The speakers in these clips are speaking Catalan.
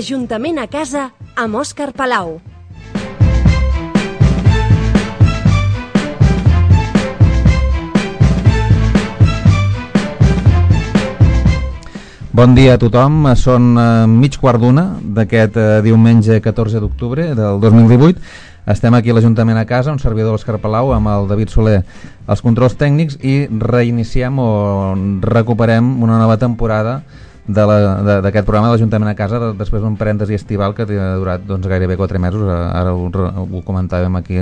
L'Ajuntament a casa amb Òscar Palau. Bon dia a tothom, són mig quart d'una d'aquest diumenge 14 d'octubre del 2018. Estem aquí a l'Ajuntament a casa, un servidor Òscar Palau amb el David Soler als controls tècnics, i reiniciem o recuperem una nova temporada d'aquest programa de l'Ajuntament a casa després d'un parèntesi estival que ha durat gairebé 4 mesos. Ara ho comentàvem aquí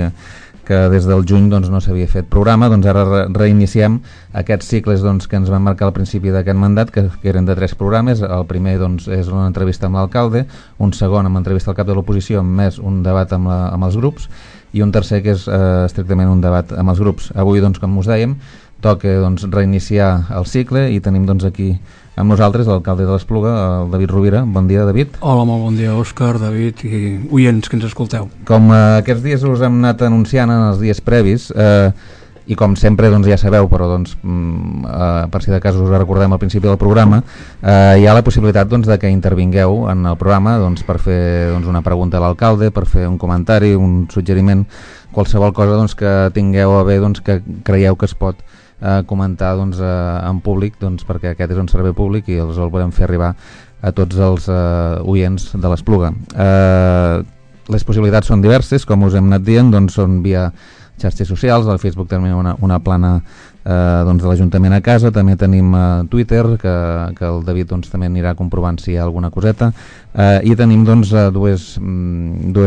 que des del juny no s'havia fet programa. Ara reiniciem aquests cicles que ens van marcar al principi d'aquest mandat, que eren de 3 programes. El primer és una entrevista amb l'alcalde, un segon amb entrevista al cap de l'oposició, més un debat amb els grups, i un tercer que és estrictament un debat amb els grups. Avui, com us dèiem, toca reiniciar el cicle i tenim aquí amb nosaltres l'alcalde de l'Espluga, el David Rovira. Bon dia, David. Hola, molt bon dia, Òscar, David i oients que ens escolteu. Com aquests dies us hem anat anunciant en els dies previs, i com sempre ja sabeu, però per si de cas us recordem al principi del programa, hi ha la possibilitat de que intervingueu en el programa per fer una pregunta a l'alcalde, per fer un comentari, un suggeriment, qualsevol cosa que tingueu a bé, que creieu que es pot comentar en públic, perquè aquest és un servei públic i els el podem fer arribar a tots els oients de l'Espluga. Les possibilitats són diverses, com us hem anat dient, són via xarxes socials. Al Facebook tenim una plana de l'Ajuntament a casa, també tenim Twitter, que el David també anirà comprovant si hi ha alguna coseta, i tenim dues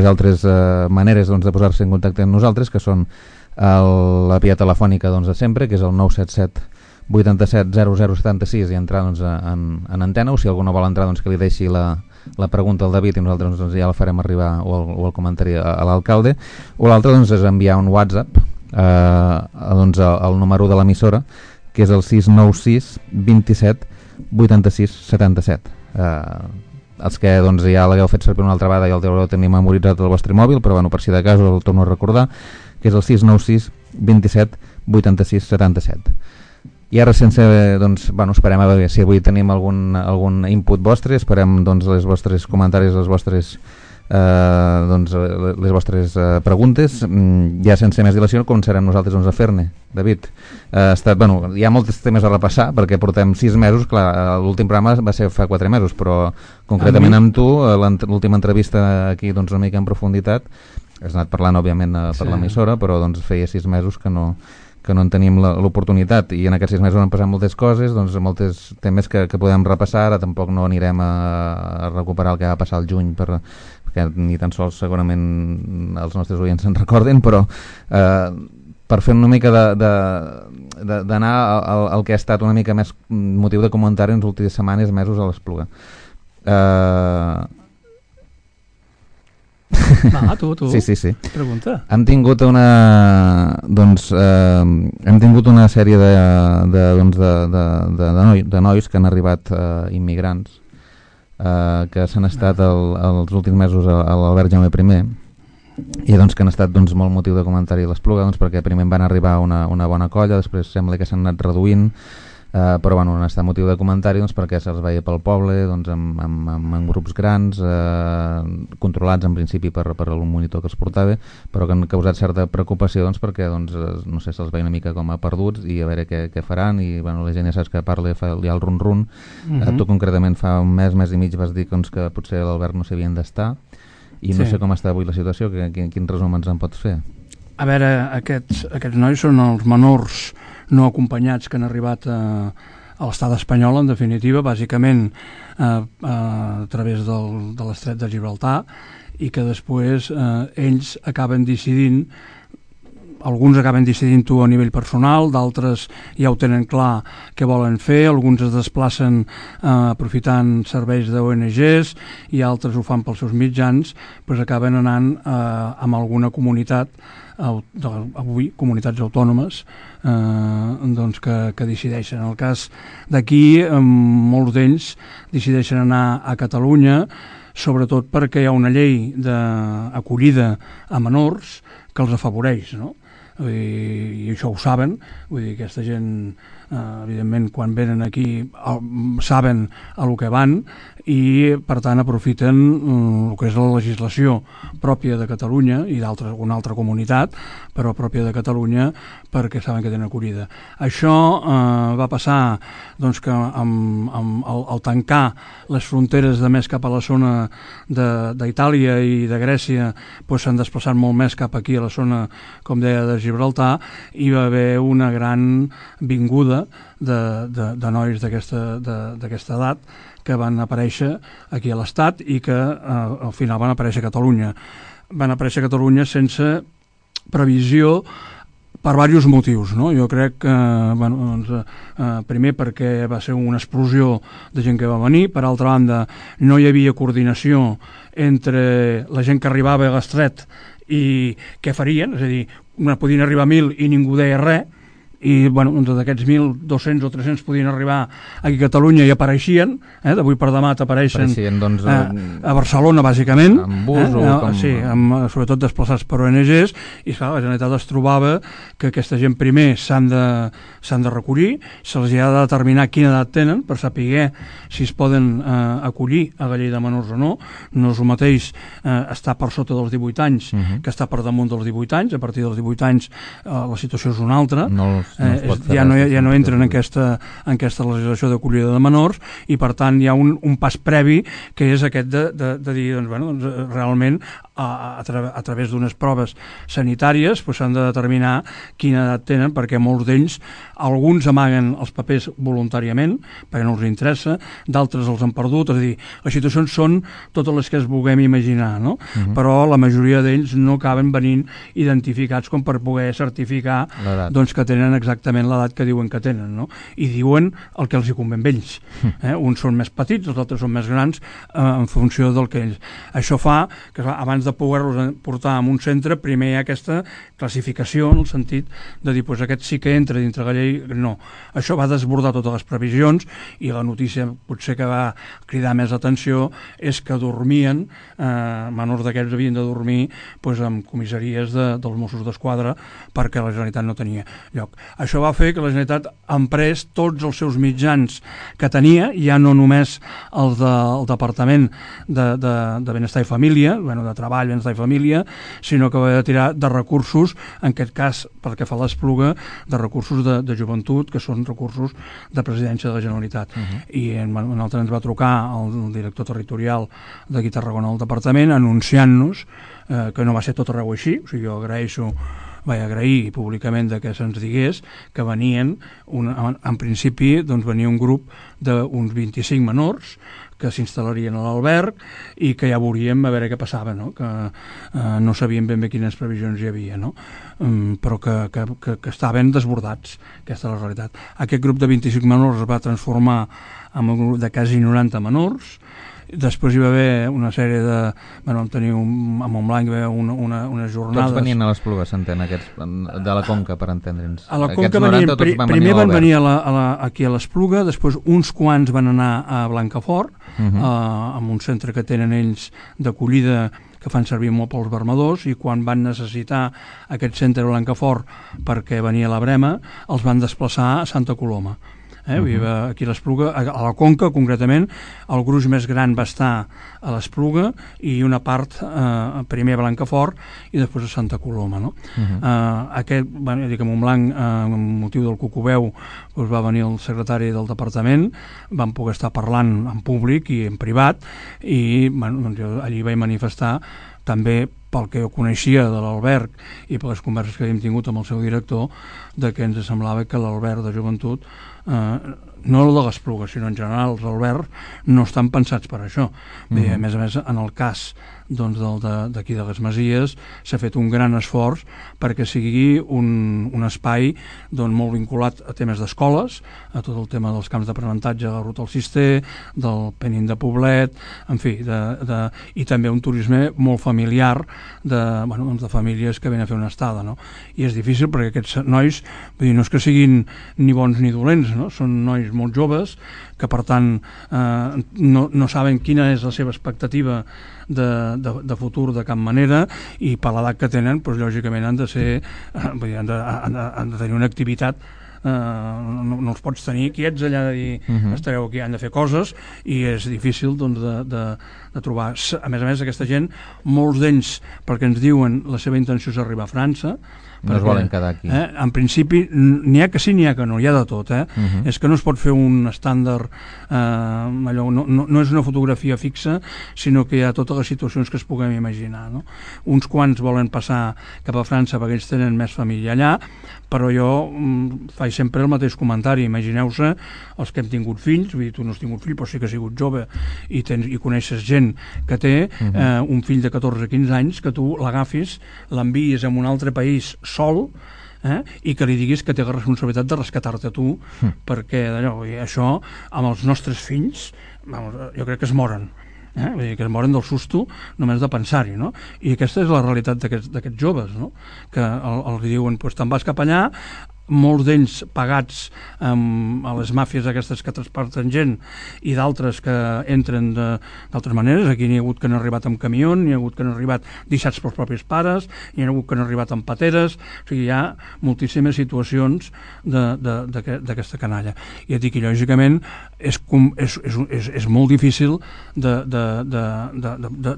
altres maneres de posar-se en contacte amb nosaltres, que són la via telefònica de sempre, que és el 977 87 0076, i entrar en antena, o si algú no vol entrar que li deixi la pregunta al David i nosaltres ja la farem arribar, o el comentari a l'alcalde. O l'altre és enviar un WhatsApp al número de l'emissora, que és el 696 27 86 77. Els que ja l'hagueu fet servir una altra vegada ja el deureu tenir memoritzat al vostre mòbil, però per si de cas el torno a recordar, que és el 696 27 86 77. I ara esperem a veure si avui tenim algun input vostre, esperem els vostres comentaris, les vostres preguntes. Ja sense més dilació començarem nosaltres a fer-ne. David, hi ha molts temes a repassar perquè portem 6 mesos, clar, l'últim programa va ser fa 4 mesos, però concretament amb tu, l'última entrevista aquí una mica en profunditat, has anat parlant òbviament per l'emissora, però feia 6 mesos que no en tenim l'oportunitat, i en aquests 6 mesos han passat moltes coses, molts temes que podem repassar. Ara tampoc no anirem a recuperar el que va passar al juny, perquè ni tan sols segurament els nostres oients se'n recorden, però per fer una mica d'anar al que ha estat una mica més motiu de comentari en les últimes setmanes, mesos a l'Espluga. Tu. Sí. Pregunta. Hem tingut una sèrie de nois que han arribat immigrants, que s'han estat els últims mesos a l'Albert Jaume I, i que han estat molt motiu de comentari a l'Espluga, perquè primer van arribar una bona colla, després sembla que s'han anat reduint, però han estat motiu de comentari perquè se'ls veia pel poble amb grups grans, controlats en principi per un monitor que els portava, però que han causat certa preocupació perquè no sé, se'ls veia una mica com a perduts i a veure què faran. I la gent ja saps que parla, fa el run-run. Tu concretament fa un mes i mig vas dir que potser l'Albert no s'havien d'estar, i no sé com està avui la situació. Quin resum ens en pots fer? A veure, aquests nois són els menors no acompanyats que han arribat a l'estat espanyol, en definitiva, bàsicament a través de l'estret de Gibraltar, i que després ells acaben decidint, alguns acaben decidint-ho a nivell personal, d'altres ja ho tenen clar què volen fer, alguns es desplacen aprofitant serveis d'ONGs i altres ho fan pels seus mitjans, acaben anant amb alguna comunitat, avui comunitats autònomes, que decideixen. En el cas d'aquí, molts d'ells decideixen anar a Catalunya, sobretot perquè hi ha una llei d'acollida a menors que els afavoreix, no? I això ho saben, vull dir, aquesta gent evidentment quan venen aquí saben a lo que van i per tant aprofiten el que és la legislació pròpia de Catalunya i d'una altra comunitat però pròpia de Catalunya perquè saben que tenen acollida. Això va passar doncs, que al tancar les fronteres de més cap a la zona d'Itàlia i de Grècia doncs, s'han desplaçat molt més cap aquí a la zona, com deia, de Gibraltar, i va haver una gran vinguda de nois d'aquesta edat que van aparèixer aquí a l'Estat i que al final van aparèixer a Catalunya. Van aparèixer a Catalunya sense previsió per diversos motius, no? Jo crec que primer perquè va ser una explosió de gent que va venir, per altra banda no hi havia coordinació entre la gent que arribava a l'estret i què farien, és a dir, podien arribar 1.000 i ningú deia res, i d'aquests 1.200 o 300 podien arribar aquí a Catalunya i apareixien, d'avui per demà t'apareixen doncs, a Barcelona bàsicament, amb bus sí, sobretot desplaçats per ONGs, i clar, la Generalitat es trobava que aquesta gent primer s'han de recollir, se'ls ha de determinar quina edat tenen per saber si es poden acollir a la llei de menors o no. No és el mateix estar per sota dels 18 anys que estar per damunt dels 18 anys. A partir dels 18 anys la situació és una altra. Ja no entren en aquesta legislació d'acollida de menors, i per tant hi ha un pas previ que és aquest de dir realment a través d'unes proves sanitàries s'han de determinar quina edat tenen, perquè molts d'ells, alguns amaguen els papers voluntàriament perquè no els interessa, d'altres els han perdut. És a dir, les situacions són totes les que es vulguem imaginar, no? Però la majoria d'ells no acaben venint identificats com per poder certificar que tenen exactament l'edat que diuen que tenen, no? I diuen el que els hi convé a ells. Uns són més petits, els altres són més grans, en funció del que ells. Això fa que abans de poder-los portar a un centre, primer hi ha aquesta classificació, en el sentit de dir, aquest sí que entra dintre la llei, no. Això va desbordar totes les previsions, i la notícia potser que va cridar més atenció és que dormien, menors d'aquests havien de dormir en comissaries dels Mossos d'Esquadra, perquè la Generalitat no tenia lloc. Això va fer que la Generalitat emprés tots els seus mitjans que tenia, ja no només els del Departament de Benestar i Família, de Treball, Benestar i Família, sinó que va tirar de recursos, en aquest cas, pel que fa a l'Espluga, de recursos de joventut, que són recursos de presidència de la Generalitat. I nosaltres ens va trucar el director territorial d'aquí a Tarragona al departament, anunciant-nos que no va ser tot arreu així. O sigui, jo vaig agrair públicament que se'ns digués que venien, en principi venia un grup d'uns 25 menors que s'instal·larien a l'alberg i que ja veuríem a veure què passava, no? Que no sabíem ben bé quines previsions hi havia, no? Però que estaven desbordats. Aquesta és la realitat. Aquest grup de 25 menors es va transformar en un grup de quasi 90 menors. Després hi va haver una sèrie de... Vam tenir a Montblanc hi va haver unes jornades... Tots venien a l'Espluga, s'entén, aquests de la Conca, per entendre'ns. A la Conca primer van venir aquí a l'Espluga, després uns quants van anar a Blancafort, amb un centre que tenen ells d'acollida que fan servir molt pels vermadors, i quan van necessitar aquest centre a Blancafort perquè venia la Brema, els van desplaçar a Santa Coloma. Aquí a l'Espluga, a la Conca concretament, el gruix més gran va estar a l'Espluga i una part primer a Blancafort i després a Santa Coloma, no? Aquest, a Montblanc, amb motiu del Cucubeu, va venir el secretari del departament, vam poder estar parlant en públic i en privat, i jo allí vaig manifestar també pel que jo coneixia de l'alberg i per les converses que havíem tingut amb el seu director, de que ens semblava que l'alberg de joventut, no el de l'Espluga, sinó en general els albergs, no estan pensats per això. Bé, a més, en el cas d'aquí de les Masies s'ha fet un gran esforç perquè sigui un espai molt vinculat a temes d'escoles, a tot el tema dels camps d'aprenentatge, de la Ruta del Cister, del Penin de Poblet, en fi, i també un turisme molt familiar de famílies que venen a fer una estada, no? I és difícil perquè aquests nois, no és que siguin ni bons ni dolents, no? Són nois molt joves que per tant no saben quina és la seva expectativa de futur de cap manera, i per l'edat que tenen lògicament han de tenir una activitat no els pots tenir quiets allà de dir estareu aquí, han de fer coses, i és difícil doncs, de trobar. A més, aquesta gent, molts d'ells, perquè ens diuen la seva intenció és arribar a França, no es volen quedar aquí. En principi, n'hi ha que sí, n'hi ha que no, hi ha de tot. És que no es pot fer un estàndard, allò, no és una fotografia fixa, sinó que hi ha totes les situacions que es puguem imaginar. No? Uns quants volen passar cap a França perquè ells tenen més família allà, però jo faig sempre el mateix comentari. Imagineu-se els que hem tingut fills, vull dir, tu no has tingut fill, però sí que has sigut jove i coneixes gent que té un fill de 14-15 anys, que tu l'agafis, l'envies a un altre país sol, i que li diguis que té la responsabilitat de rescatar-te tu, perquè això amb els nostres fills jo crec que es moren. Vull dir, que es moren del susto només de pensar-hi, no? I aquesta és la realitat d'aquests joves, no? Que els diuen, pues, te'n vas cap allà, molts d'ells pagats a les màfies aquestes que transporten gent, i d'altres que entren d'altres maneres. Aquí n'hi ha hagut que han arribat amb camió, n'hi ha hagut que han arribat deixats pels propis pares, n'hi ha hagut que han arribat amb pateres. O sigui, hi ha moltíssimes situacions d'aquesta canalla. I et dic que lògicament és molt difícil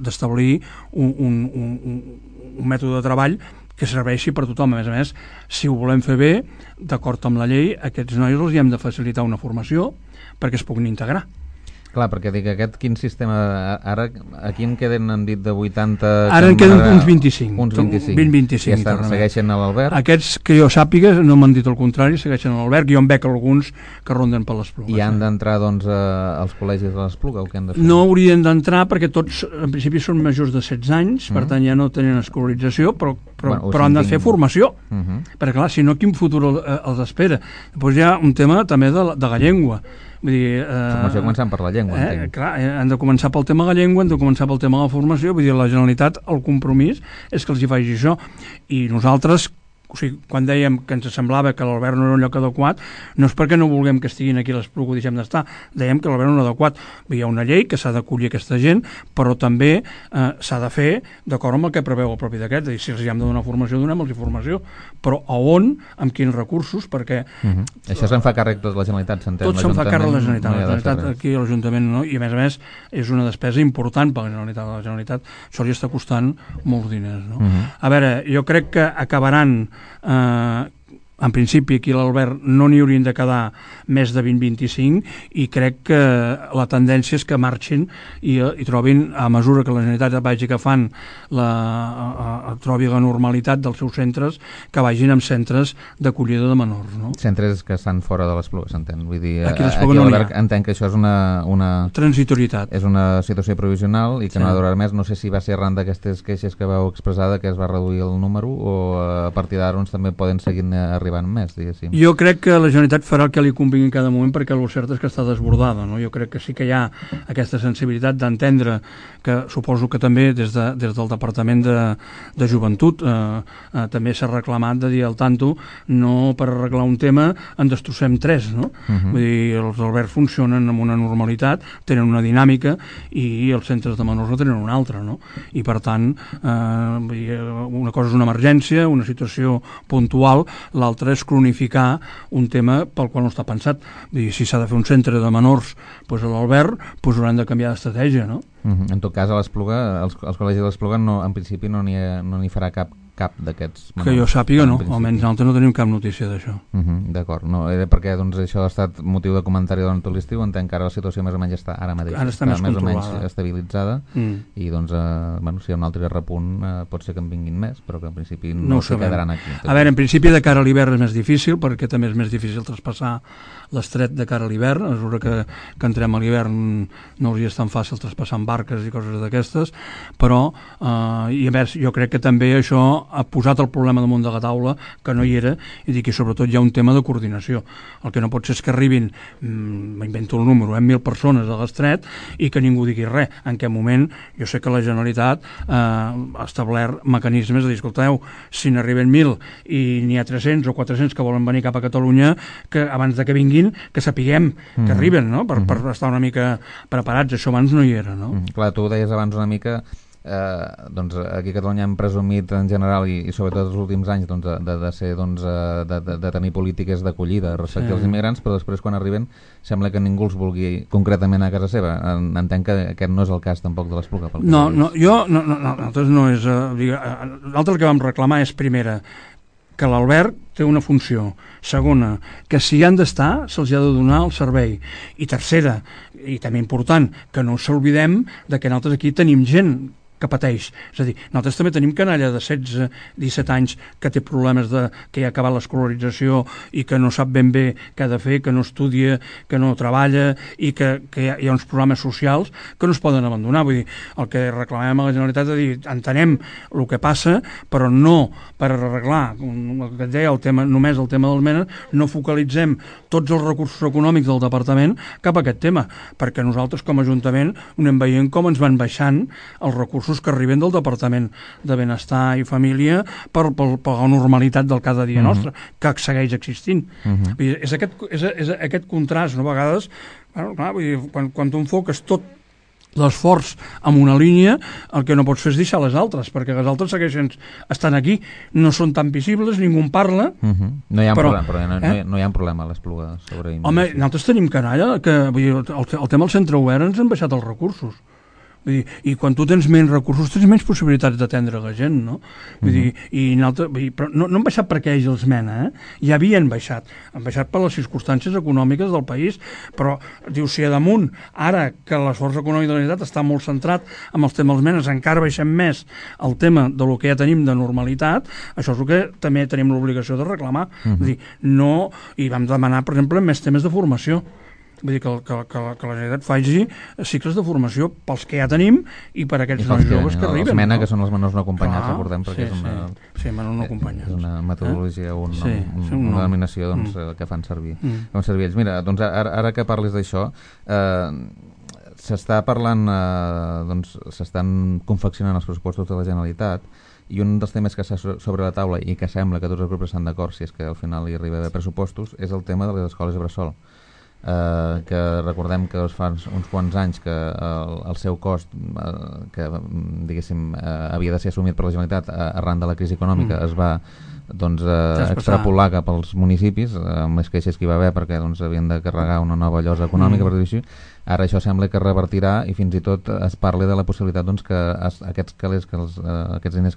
d'establir un mètode de treball que serveixi per tothom. A més, si ho volem fer bé, d'acord amb la llei, aquests nois els hi hem de facilitar una formació perquè es puguin integrar. Clar, perquè dic, quin sistema... Ara, aquí en queden, han dit, de 80... Ara en queden uns 25. Uns 25. 20-25. I segueixen a l'Albert? Aquests que jo sàpiga, no m'han dit el contrari, segueixen a l'Albert. Jo en veig alguns que ronden per l'Espluga. I han d'entrar, doncs, als col·legis de l'Espluga, o què han de fer? No haurien d'entrar perquè tots, en principi, són majors de 16 anys, per tant ja no tenen escolarització, però han de fer formació. Perquè, clar, si no, quin futur els espera? Després hi ha un tema també de la llengua. Vull dir, formació començant per la llengua, entenc. Clar, han de començar pel tema de la llengua, han de començar pel tema de la formació. Vull dir, la Generalitat, el compromís és que els hi faci això. I nosaltres, o sigui, quan dèiem que ens semblava que l'Albert no era un lloc adequat, no és perquè no vulguem que estiguin aquí a l'Espluga o deixem d'estar, dèiem que l'Albert no era adequat. Hi ha una llei que s'ha d'acollir aquesta gent, però també s'ha de fer d'acord amb el que preveu el propi d'aquest. És a dir, si els hi hem de donar formació, donem-los formació, però a on, amb quins recursos, perquè... Això se'n fa càrrec tot la Generalitat, s'entén? Tot se'n fa càrrec la Generalitat. La Generalitat aquí a l'Ajuntament no, i a més és una despesa important per la Generalitat. La Generalitat això li està costant molts diners. No? A veure, jo crec que acabaran... en principi aquí a l'Albert no n'hi haurien de quedar més de 20-25 i crec que la tendència és que marxin i trobin, a mesura que la Generalitat vagi agafant trobi la normalitat dels seus centres, que vagin amb centres d'acollida de menors, no? Centres que estan fora de l'Espluga, s'entén? Vull dir, aquí a l'Albert entenc que això és una transitorietat. És una situació provisional i que no ha de durar més. No sé si va ser arran d'aquestes queixes que vau expressar que es va reduir el número o a partir d'ara també poden seguir arribant més, diguéssim. Jo crec que la Generalitat farà el que li convingui en cada moment, perquè el cert és que està desbordada, no? Jo crec que sí que hi ha aquesta sensibilitat d'entendre, que suposo que també des del Departament de Joventut també s'ha reclamat de dir al tanto, no per arreglar un tema en destrossem tres, no? Vull dir, els albergs funcionen amb una normalitat, tenen una dinàmica i els centres de menors no tenen una altra, no? I per tant una cosa és una emergència, una situació puntual, l'altra és cronificar un tema pel qual no està pensat. Vull dir, si s'ha de fer un centre de menors a l'Albert, hauran de canviar d'estratègia, no? En tot cas, a l'Espluga, els col·legis de l'Espluga en principi no n'hi farà cap d'aquests menors. Que jo sàpiga no, almenys nosaltres no tenim cap notícia d'això. D'acord, no, era perquè això ha estat motiu de comentari durant tot l'estiu. Entenc que ara la situació més o menys està ara mateix està més o menys estabilitzada i doncs, si hi ha un altre repunt pot ser que en vinguin més, però que en principi no s'hi quedaran aquí. A veure, en principi de cara a l'hivern és més difícil, perquè també és més difícil traspassar l'estret de cara a l'hivern. A mesura que entrem a l'hivern no hauria estat tan fàcil traspassar amb barques i coses d'aquestes, però i a més jo crec que també això ha posat el problema damunt de la taula, que no hi era, i dic que sobretot hi ha un tema de coordinació. El que no pot ser és que arribin, m'invento el número, 1.000 persones a l'estret i que ningú digui res. En què moment jo sé que la Generalitat ha establert mecanismes de dir, escolteu, si n'arriben 1.000 i n'hi ha 300 o 400 que volen venir cap a Catalunya, que abans de que vinguin, que sapiguem que arriben, no? Per estar una mica preparats. Això abans no hi era, no? Clar, tu ho deies abans una mica doncs aquí a Catalunya hem presumit en general i sobretot els últims anys doncs, de tenir polítiques d'acollida respecte als immigrants, però després quan arriben sembla que ningú els vulgui concretament a casa seva. Entenc que aquest no és el cas tampoc de l'Espluga. Nosaltres no és... Nosaltres el que vam reclamar és, primera, que l'alberg té una funció. Segona, que si hi han d'estar se'ls ha de donar el servei. I tercera, i també important, que no us oblidem de que nosaltres aquí tenim gent que pateix. És a dir, nosaltres també tenim canalla de 16-17 anys que té problemes que ja ha acabat l'escolarització i que no sap ben bé què ha de fer, que no estudia, que no treballa i que hi ha uns problemes socials que no es poden abandonar. Vull dir, el que reclamem a la Generalitat és dir, entenem el que passa, però no per arreglar, el que et deia, només el tema dels menes, no focalitzem tots els recursos econòmics del departament cap a aquest tema, perquè nosaltres com a Ajuntament anem veient com ens van baixant els recursos que arriben del Departament de Benestar i Família per la normalitat del cada dia nostre, que segueix existint. És aquest contrast, no? A vegades, clar, vull dir, quan tu enfoques tot l'esforç amb una línia, el que no pots fer és deixar les altres, perquè les altres segueixen estan aquí, no són tan visibles, ningú en parla. No hi ha problema a l'Espluga sobre immigració. Home, nosaltres tenim canalla, que vull dir, el tema del centre obert ens han baixat els recursos. Vull dir, i quan tu tens menys recursos tens menys possibilitats d'atendre la gent, no? Vull dir, però no han baixat perquè ells els mena, ja havien baixat. Han baixat per les circumstàncies econòmiques del país, però diu, si a damunt, ara que l'esforç econòmic de la Generalitat està molt centrat amb els temes dels menes, encara baixem més el tema de lo que ja tenim de normalitat, això és el que també tenim l'obligació de reclamar. Vull dir, no, i vam demanar, per exemple, més temes de formació. Vull dir que la Generalitat faci cicles de formació pels que ja tenim i per aquests nois joves que arriben. Els MENA, que són els menors no acompanyats, recordem, perquè és una metodologia, una denominació que fan servir ells. Mira, doncs ara que parlis d'això, s'està parlant, s'estan confeccionant els pressupostos de la Generalitat, i un dels temes que està sobre la taula i que sembla que tots els grups estan d'acord, si és que al final hi arriba de pressupostos, és el tema de les escoles bressol. Que recordem que fa uns quants anys que el seu cost que diguéssim havia de ser assumit per la Generalitat arran de la crisi econòmica es va extrapolar cap als municipis amb les queixes que hi va haver perquè havien de carregar una nova llosa econòmica, per dir-ho així. Ara això sembla que revertirà i fins i tot es parla de la possibilitat que aquests diners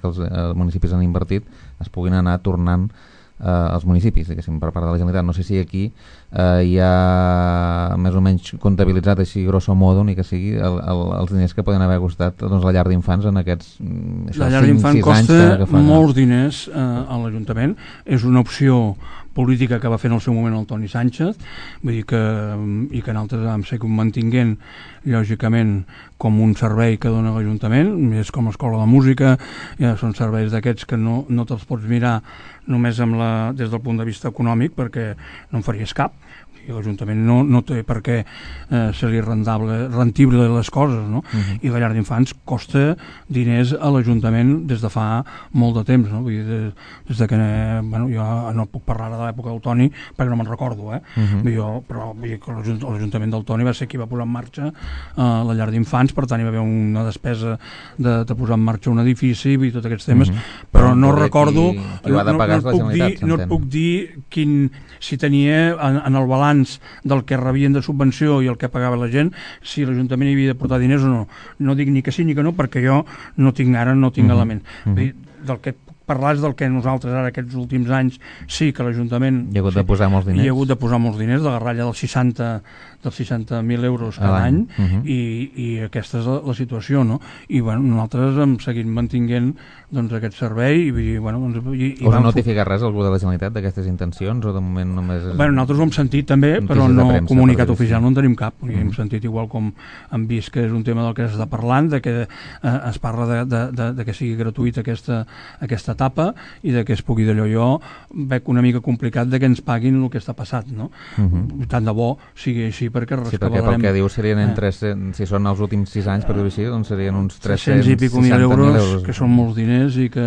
que els municipis han invertit es puguin anar tornant als municipis, diguéssim, per part de la Generalitat. No sé si aquí hi ha més o menys comptabilitzat així grosso modo, ni que sigui els diners que poden haver costat la llar d'infants en aquests 5-6 anys. La llar d'infants costa molts diners a l'Ajuntament, és una opció política que va fer en el seu moment el Toni Sánchez, vull dir i que nosaltres vam ser mantinguent lògicament com un servei que dona l'Ajuntament, és com l'escola de música, són serveis d'aquests que no te'ls pots mirar només des del punt de vista econòmic perquè no en faries cap. L'Ajuntament no té per què ser-li rendible les coses, no? I la llar d'infants costa diners a l'Ajuntament des de fa molt de temps, no? Vull dir, des de que jo no puc parlar de l'època del Toni perquè no me'n recordo, però vull dir que l'Ajuntament del Toni va ser qui va posar en marxa la llar d'infants, per tant hi va haver una despesa de posar en marxa un edifici i tots aquests temes, però no recordo, no et puc dir si tenia en el balanç del que rebien de subvenció i el que pagava la gent, si l'Ajuntament hi havia de portar diners o no. No dic ni que sí ni que no, perquè jo no tinc element. Del que parlar és del que nosaltres ara aquests últims anys sí que l'Ajuntament hi ha hagut de posar molts diners, de la ratlla dels 60.000 euros cada any i aquesta és la situació, no? I nosaltres hem seguit mantinguent aquest servei i us ha notificat res algú de la Generalitat d'aquestes intencions o de moment només nosaltres ho hem sentit també, però no comunicat oficial no en tenim cap, hem sentit igual com hem vist que és un tema del que s'està parlant, de que es parla de que sigui gratuïta aquesta etapa i de que es pugui d'allò. Jo veig una mica complicat de que ens paguin el que està passat, no? Tant de bo sigui així perquè Sí, perquè pel que diu serien entre, si són els últims 6 anys, per dir-ho així, doncs serien uns 300 i pico mil euros, que són molts diners i que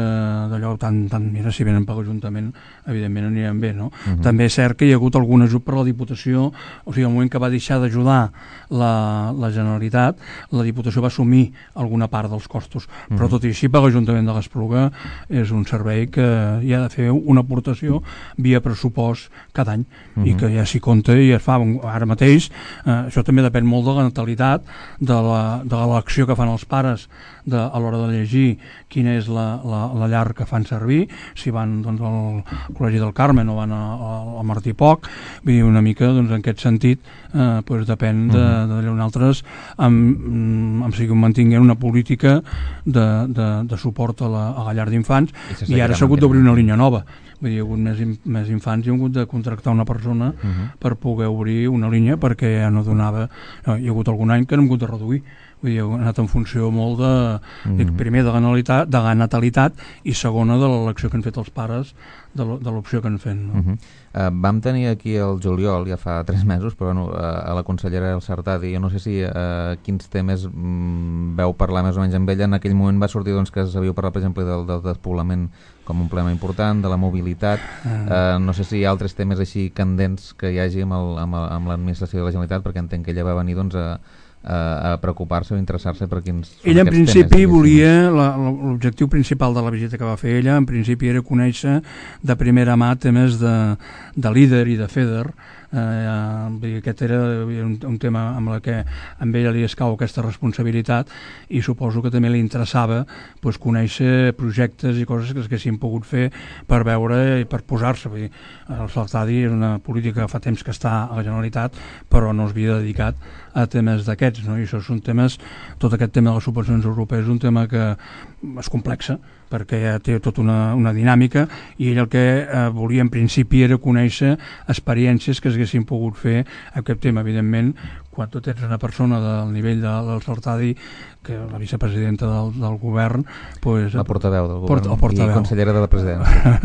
d'allò tant mira, si venen per l'Ajuntament, evidentment aniran bé, no? També és cert que hi ha hagut algun ajut per la Diputació, o sigui, al moment que va deixar d'ajudar la Generalitat, la Diputació va assumir alguna part dels costos, però tot i així per l'Ajuntament de l'Espluga és un servei que hi ha de fer una aportació via pressupost cada any i que ja s'hi compta i es fa ara mateix. Això també depèn molt de la natalitat, de l'elecció que fan els pares a l'hora de llegir quina és la llar que fan servir, si van doncs, al Col·legi del Carme o van al Martí Poc, vull dir, una mica doncs, en aquest sentit doncs, depèn d'allò. Nosaltres mantinguem una política de suport a la llar d'infants i ara s'ha hagut d'obrir una línia nova. Vull dir, hi ha hagut més infants i hem hagut de contractar una persona per poder obrir una línia perquè ja no donava... Hi ha hagut algun any que n'hem hagut de reduir. Vull dir, ha anat en funció molt primer de la natalitat i segona de l'elecció que han fet els pares de l'opció que han fet. No? Vam tenir aquí el juliol, ja fa 3 mesos, però bueno, a la consellera El Sartadi, jo no sé si quins temes veu parlar més o menys amb ella. En aquell moment va sortir doncs, que s'havia parlat, per exemple, del despoblament com un problema important, de la mobilitat. No sé si hi ha altres temes així candents que hi hagi amb l'administració de la Generalitat, perquè entenc que ella va venir doncs, a preocupar-se o interessar-se per quins són ella en aquests principi temes. Volia, l'objectiu principal de la visita que va fer ella en principi era conèixer de primera mà temes de líder i de FEDER. Aquest era un tema amb el que amb ella li escau aquesta responsabilitat i suposo que també li interessava doncs, conèixer projectes i coses que s'haguessin pogut fer per veure i per posar-se. El Sartadi és una política que fa temps que està a la Generalitat però no es havia dedicat a temes d'aquests, no? I això són temes, tot aquest tema de les subvencions europees és un tema que és complexa perquè ja té tota una dinàmica i ell el que volia en principi era conèixer experiències que s'haguessin pogut fer en aquest tema. Evidentment, quan tu tens una persona del nivell del Sartadi, que la vicepresidenta del govern... Pues, la portaveu del govern i consellera de la presidència.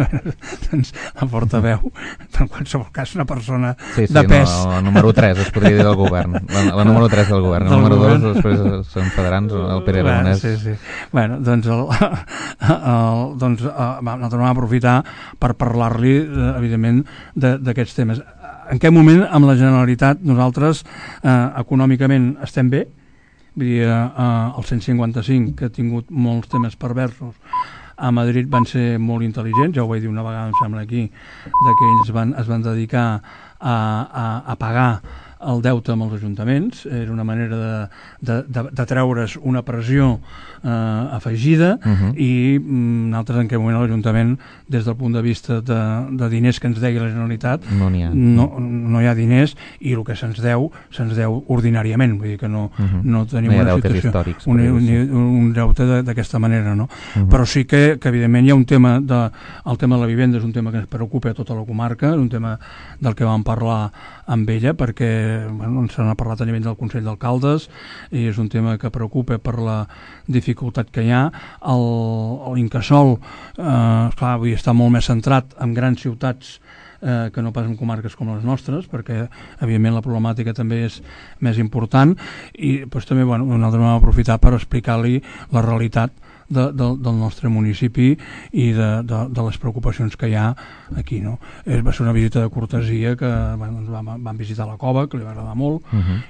Doncs la portaveu, en qualsevol cas, una persona de pes. No, el número 3 es podria dir del govern. La número 3 del govern. El número 2 després són federants, el Pere Aragonès. Sí. Bueno, doncs nosaltres vam aprofitar per parlar-li, evidentment, d'aquests temes. En què moment, amb la Generalitat, nosaltres econòmicament estem bé? Vull dir, el 155, que ha tingut molts temes perversos, a Madrid van ser molt intel·ligents, ja ho vaig dir una vegada, em sembla aquí, que ells es van dedicar a pagar el deute amb els ajuntaments. Era una manera de treure's una pressió afegida i nosaltres en aquell moment a l'Ajuntament, des del punt de vista de diners que ens deia la Generalitat, no hi ha diners i el que se'ns deu ordinàriament, vull dir que no tenim una situació, un deute d'aquesta manera, no? Però sí que evidentment hi ha un tema, el tema de la vivenda és un tema que ens preocupa a tota la comarca, és un tema del que vam parlar amb ella perquè se n'ha parlat a nivell del Consell d'Alcaldes i és un tema que preocupa per la dificultat que hi ha. L'Incasòl està molt més centrat en grans ciutats que no pas en comarques com les nostres, perquè evidentment la problemàtica també és més important i doncs, també nosaltres vam aprofitar per explicar-li la realitat del nostre municipi i de les preocupacions que hi ha aquí, no? Va ser una visita de cortesia que vam visitar la cova, que li va agradar molt,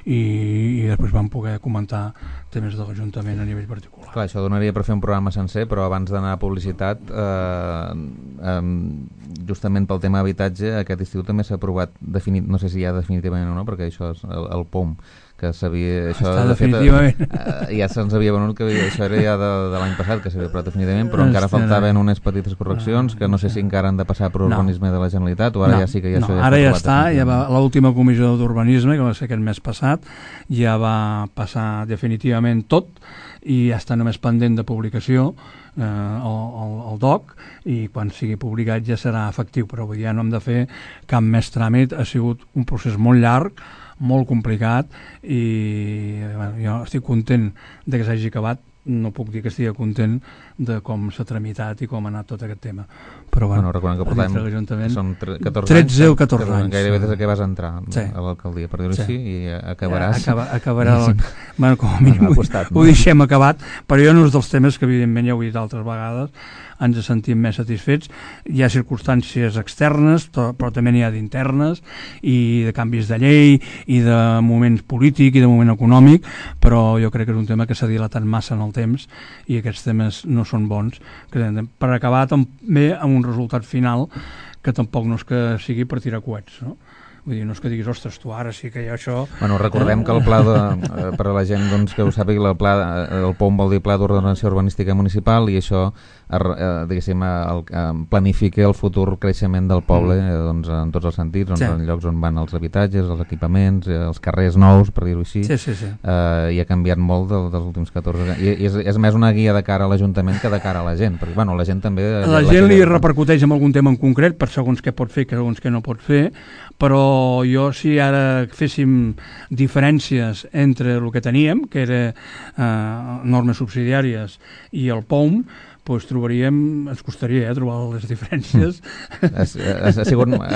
i després vam poder comentar temes de l'Ajuntament a nivell particular. Clar, això donaria per fer un programa sencer, però abans d'anar a publicitat, justament pel tema habitatge, aquest estiu també s'ha aprovat, no sé si ja definitivament o no, perquè això és el POM, que s'havia... Està definitivament. Ja se'ns havia venut que això era ja de l'any passat, que s'havia aprovat definitivament, però encara faltaven unes petites correccions que no sé si encara han de passar per urbanisme de la Generalitat o ara ja sí que ja això ja ara ja està, ja va l'última comissió d'urbanisme, que va ser aquest mes passat, ja va passar definitivament tot i ja està només pendent de publicació el DOC i quan sigui publicat ja serà efectiu, però avui ja no hem de fer cap més tràmit. Ha sigut un procés molt llarg, molt complicat i jo estic content de que s'hagi acabat no puc dir que estigui content de com s'ha tramitat i com ha anat tot aquest tema. Però bueno, recordem que portem són 13 o 14 anys. Gairebé des que vas entrar a l'alcaldia, per dir-ho així, i acabaràs. Acabarà bueno, com a mínim ho deixem acabat, però jo no és dels temes que evidentment ja ho he dit altres vegades, ens sentim més satisfets. Hi ha circumstàncies externes, però també n'hi ha d'internes, i de canvis de llei, i de moments polític, i de moment econòmic, però jo crec que és un tema que s'ha dilatat massa en el temps, i aquests temes no són bons. Per acabar també amb un resultat final que tampoc no és que sigui per tirar coets, no? Vull dir, no és que diguis, ostres, tu ara sí que hi ha això... Bueno, recordem que el pla, per a la gent doncs, que ho sàpiga, el POM vol dir Pla d'Ordenació Urbanística Municipal, i això diguéssim, planifica el futur creixement del poble doncs, en tots els sentits, doncs, en llocs on van els habitatges, els equipaments, els carrers nous, per dir-ho així, i ha canviat molt dels últims 14 anys. I és més una guia de cara a l'Ajuntament que de cara a la gent, perquè bueno, la gent també... La gent li repercuteix en algun tema en concret, per segons què pot fer, segons què no pot fer, però jo, si ara féssim diferències entre el que teníem, que era normes subsidiàries, i el POM, doncs ens costaria trobar les diferències. Ha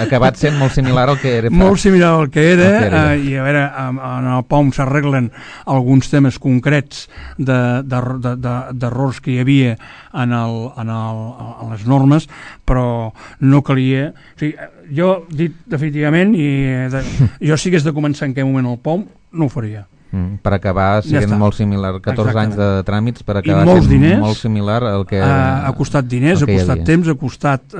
acabat sent molt similar al que era. Molt similar al que era, i a veure, en el POM s'arreglen alguns temes concrets d'errors que hi havia en les normes, però no calia... O sigui, jo, dit definitivament, jo si hagués de començar en aquell moment el POM, no ho faria. Per acabar sent molt similar, 14 anys de tràmits, per acabar sent molt similar al que... Ha costat diners, ha costat temps, ha costat... jo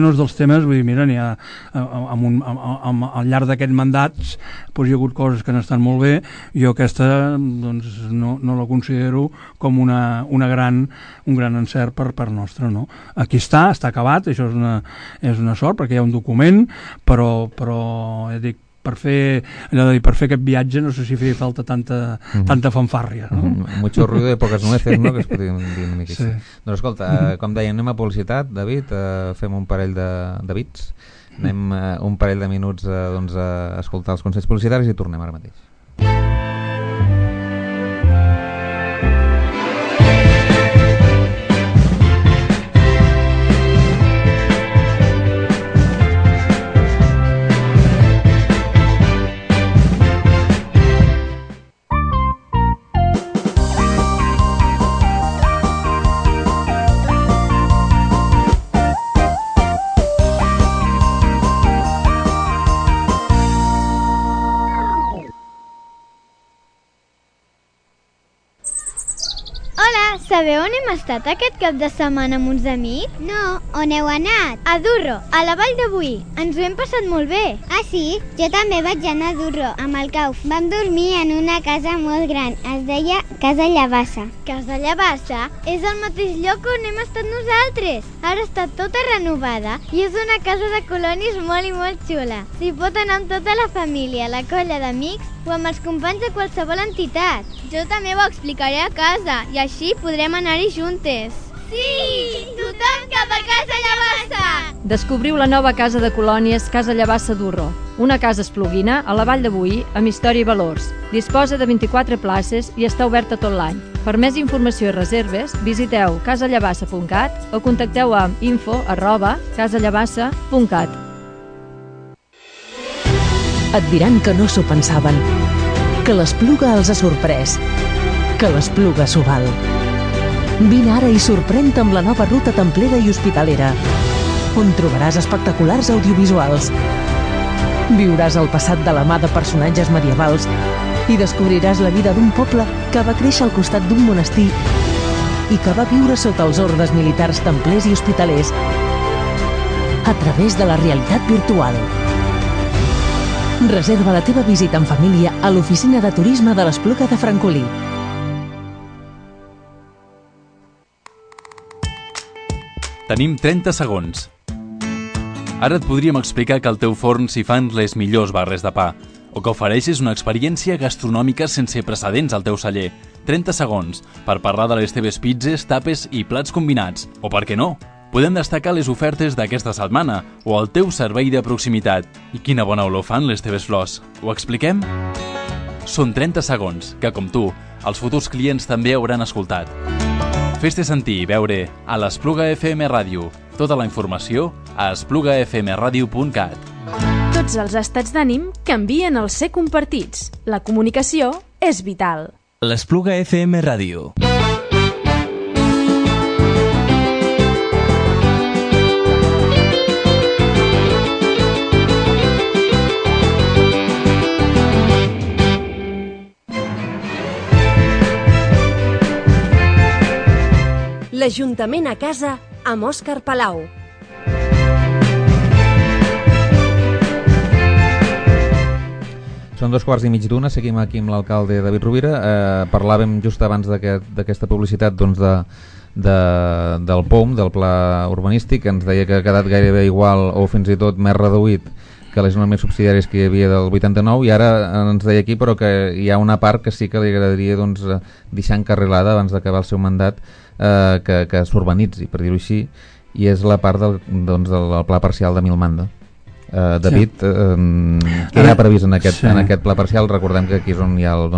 no és dels temes, vull dir, mira, n'hi ha al llarg d'aquests mandats hi ha hagut coses que han estat molt bé, jo aquesta no la considero com un gran encert per nostre, no? Aquí està acabat, això és una sort, perquè hi ha un document, però dic, per fer aquest viatge no sé si feia falta tanta fanfàrria, no? Mucho ruido de pocas nueces, no? Que es podria dir una mica així. Doncs escolta, com deia, anem a publicitat, David, fem un parell de bits, anem un parell de minuts a escoltar els consells publicitaris i tornem ara mateix. Sabeu on hem estat aquest cap de setmana amb uns amics? No, on heu anat? A Durro, a la Vall de Boí. Ens ho hem passat molt bé. Ah, sí? Jo també vaig anar a Durro, amb el Cauf. Vam dormir en una casa molt gran. Es deia Casa Llavassa. Casa Llavassa és el mateix lloc on hem estat nosaltres. Ara està tota renovada i és una casa de colonis molt i molt xula. S'hi pot anar amb tota la família, la colla d'amics o amb els companys de qualsevol entitat. Jo també ho explicaré a casa i així podrem anar-hi juntes. Sí! Tothom cap a Casa Llavassa! Descobriu la nova casa de colònies Casa Llavassa Durro, una casa espluguina a la Vall de Boí amb història i valors. Disposa de 24 places i està oberta tot l'any. Per més informació i reserves, visiteu casallavassa.cat o contacteu amb info@casallavassa.cat. Et diran que no s'ho pensaven, que l'Espluga els ha sorprès, que l'Espluga s'ho val. Vine ara i sorprèn-te amb la nova ruta templera i hospitalera, on trobaràs espectaculars audiovisuals. Viuràs el passat de la mà de personatges medievals i descobriràs la vida d'un poble que va créixer al costat d'un monestir i que va viure sota els ordes militars templers i hospitalers a través de la realitat virtual. Reserva la teva visita en família a l'oficina de turisme de l'Espluga de Francolí. Tenim 30 segons. Ara et podríem explicar que al teu forn s'hi fan les millors barres de pa, o que ofereixes una experiència gastronòmica sense precedents al teu celler. 30 segons per parlar de les teves pizzas, tapes i plats combinats. O per què no? Podem destacar les ofertes d'aquesta setmana o el teu servei de proximitat. I quina bona olor fan les teves flors. Ho expliquem? són 30 segons que, com tu, els futurs clients també hauran escoltat. Fes-te sentir i veure a l'Espluga FM Ràdio. Tota la informació a esplugafmradio.cat. Tots els estats d'ànim canvien al ser compartits. La comunicació és vital. L'Espluga FM Ràdio. L'Ajuntament a casa amb Òscar Palau. Són 2:15, seguim aquí amb l'alcalde David Rovira. Parlàvem just abans d'aquesta publicitat del POUM, del Pla Urbanístic, que ens deia que ha quedat gairebé igual o fins i tot més reduït que les normes subsidiàries que hi havia del 89, i ara ens deia aquí però que hi ha una part que sí que li agradaria deixar encarrilada abans d'acabar el seu mandat, que s'urbanitzi, per dir-ho així, i és la part del pla parcial de Milmanda. David, què hi ha previst en aquest pla parcial? Recordem que aquí és on hi ha el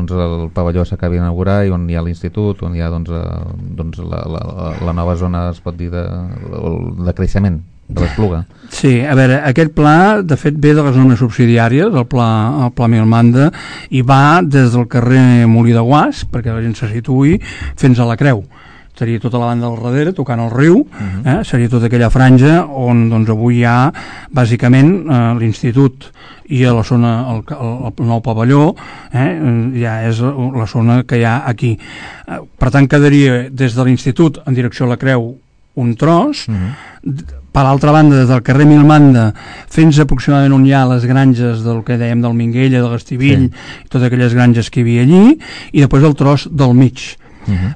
pavelló s'acabi d'inaugurar i on hi ha l'institut, on hi ha la nova zona, es pot dir, de creixement de l'Espluga. Sí, a veure, aquest pla de fet ve de les normes subsidiàries, el pla Milmanda, i va des del carrer Molí de Guas, perquè la gent se situï, fins a la Creu. Seria tota la banda del darrere, tocant el riu, seria tota aquella franja on avui hi ha bàsicament l'institut i a la zona, el nou pavelló, ja és la zona que hi ha aquí. Per tant, quedaria des de l'institut en direcció a la Creu un tros, per l'altra banda, des del carrer Milmanda fins aproximadament on hi ha les granges del que dèiem del Minguella, de l'Estivill, i totes aquelles granges que hi havia allí, i després el tros del mig.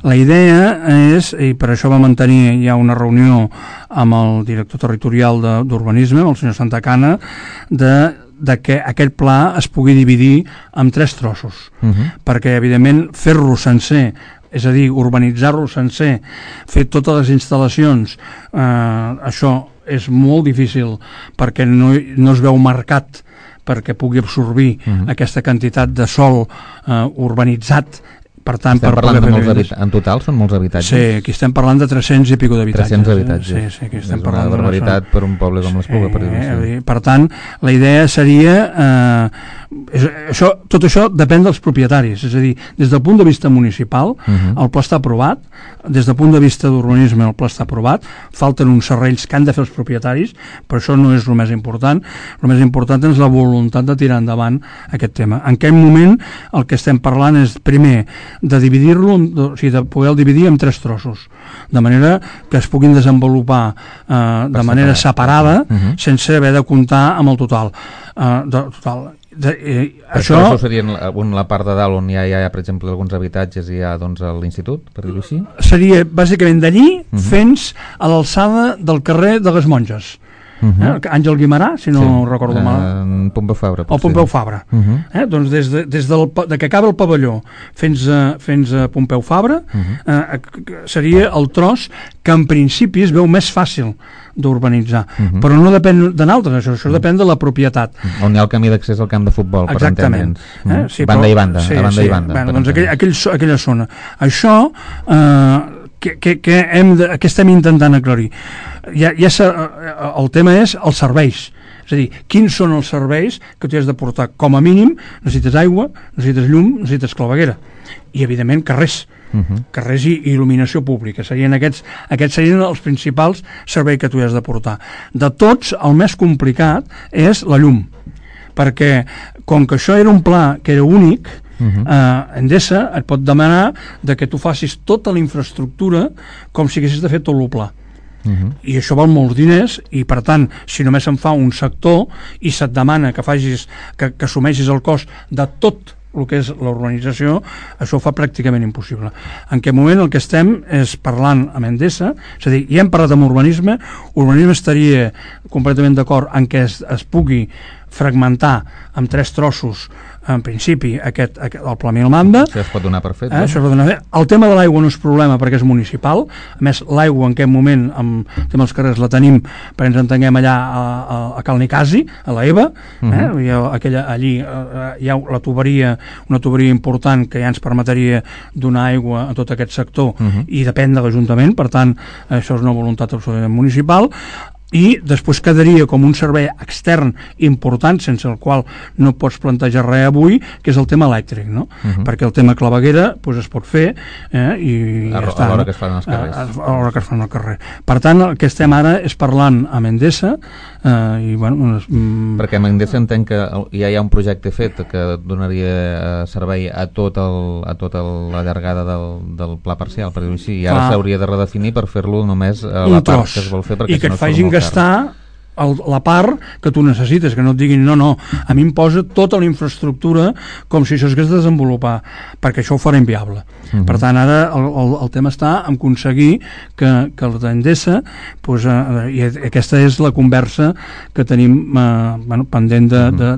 La idea és, i per això va mantenir ja una reunió amb el director territorial d'urbanisme, el senyor Santacana, de que aquest pla es pugui dividir en 3 trossos, perquè evidentment fer-lo sencer, és a dir, urbanitzar-lo sencer, fer totes les instal·lacions, això és molt difícil perquè no es veu marcat perquè pugui absorbir aquesta quantitat de sòl urbanitzat. Per tant, estem parlant de molts habitatges. En total són molts habitatges? Sí, aquí estem parlant de 300 i pico d'habitatges. 300 habitatges. Sí, aquí estem és una barbaritat per un poble com l'Espluga, per dir-ho així. Per tant, la idea seria... tot això depèn dels propietaris, és a dir, des del punt de vista municipal el pla està aprovat, des del punt de vista d'urbanisme el pla està aprovat, falten uns serrells que han de fer els propietaris, però això no és el més important. El més important és la voluntat de tirar endavant aquest tema. En aquest moment el que estem parlant és, primer, de dividir-lo, o sigui, de poder dividir en 3 trossos, de manera que es puguin desenvolupar de manera separada, sense haver de comptar amb el total. Això serien la part de dalt on hi ha, per exemple, alguns habitatges i hi ha l'institut, per dir-ho així? Seria bàsicament d'allí fins a l'alçada del carrer de les Monges. Àngel Guimarà, si no recordo mal. Pompeu Fabra. O Pompeu Fabra. Doncs des de que acaba el pavelló fins a Pompeu Fabra seria el tros que en principi es veu més fàcil d'urbanitzar, però no depèn de nosaltres, això depèn de la propietat. On hi ha el camí d'accés al camp de futbol, per entendre'ns. Banda i banda. Doncs aquella zona. Això què estem intentant aclarir? El tema és els serveis, és a dir, quins són els serveis que tu has de portar. Com a mínim necessites aigua, necessites llum, necessites claveguera i evidentment carrers i il·luminació pública. Aquests serien els principals serveis que tu has de portar. De tots, el més complicat és la llum, perquè com que això era un pla que era únic, Endesa et pot demanar que tu facis tota la infraestructura com si haguessis de fer tot el pla. I això val molts diners i per tant, si només se'n fa un sector i se't demana que assumeixis el cost de tot el que és l'urbanització, això ho fa pràcticament impossible. En aquest moment el que estem és parlant amb Endesa, és a dir, ja hem parlat amb urbanisme estaria completament d'acord en què es pugui fragmentar en 3 trossos en principi el Pla Milmanda. Això es pot donar per fet. El tema de l'aigua no és problema perquè és municipal. A més, l'aigua en aquest moment, amb el tema dels carrers, la tenim, perquè ens entenguem, allà a Cal Nicasi, a la EVA. Allí hi ha una tuberia important que ja ens permetria donar aigua a tot aquest sector i depèn de l'Ajuntament. Per tant, això és una voluntat absolutament municipal. I després quedaria com un servei extern important, sense el qual no pots plantejar res avui, que és el tema elèctric, no? Perquè el tema claveguera es pot fer i ja està, a l'hora que es fan els carrers. A l'hora que es fan el carrer. Per tant, el que estem ara és parlant amb Endesa perquè amb Endesa entenc que ja hi ha un projecte fet que donaria servei a tota la llargada del pla parcial, per dir-ho així, i ara s'hauria de redefinir per fer-lo només a la part que es vol fer, i que et facin gastar la part que tu necessites, que no et diguin no, a mi em posa tota la infraestructura com si això s'hagués de desenvolupar, perquè això ho farà inviable. Per tant, ara el tema està en aconseguir que l'Endesa, i aquesta és la conversa que tenim pendent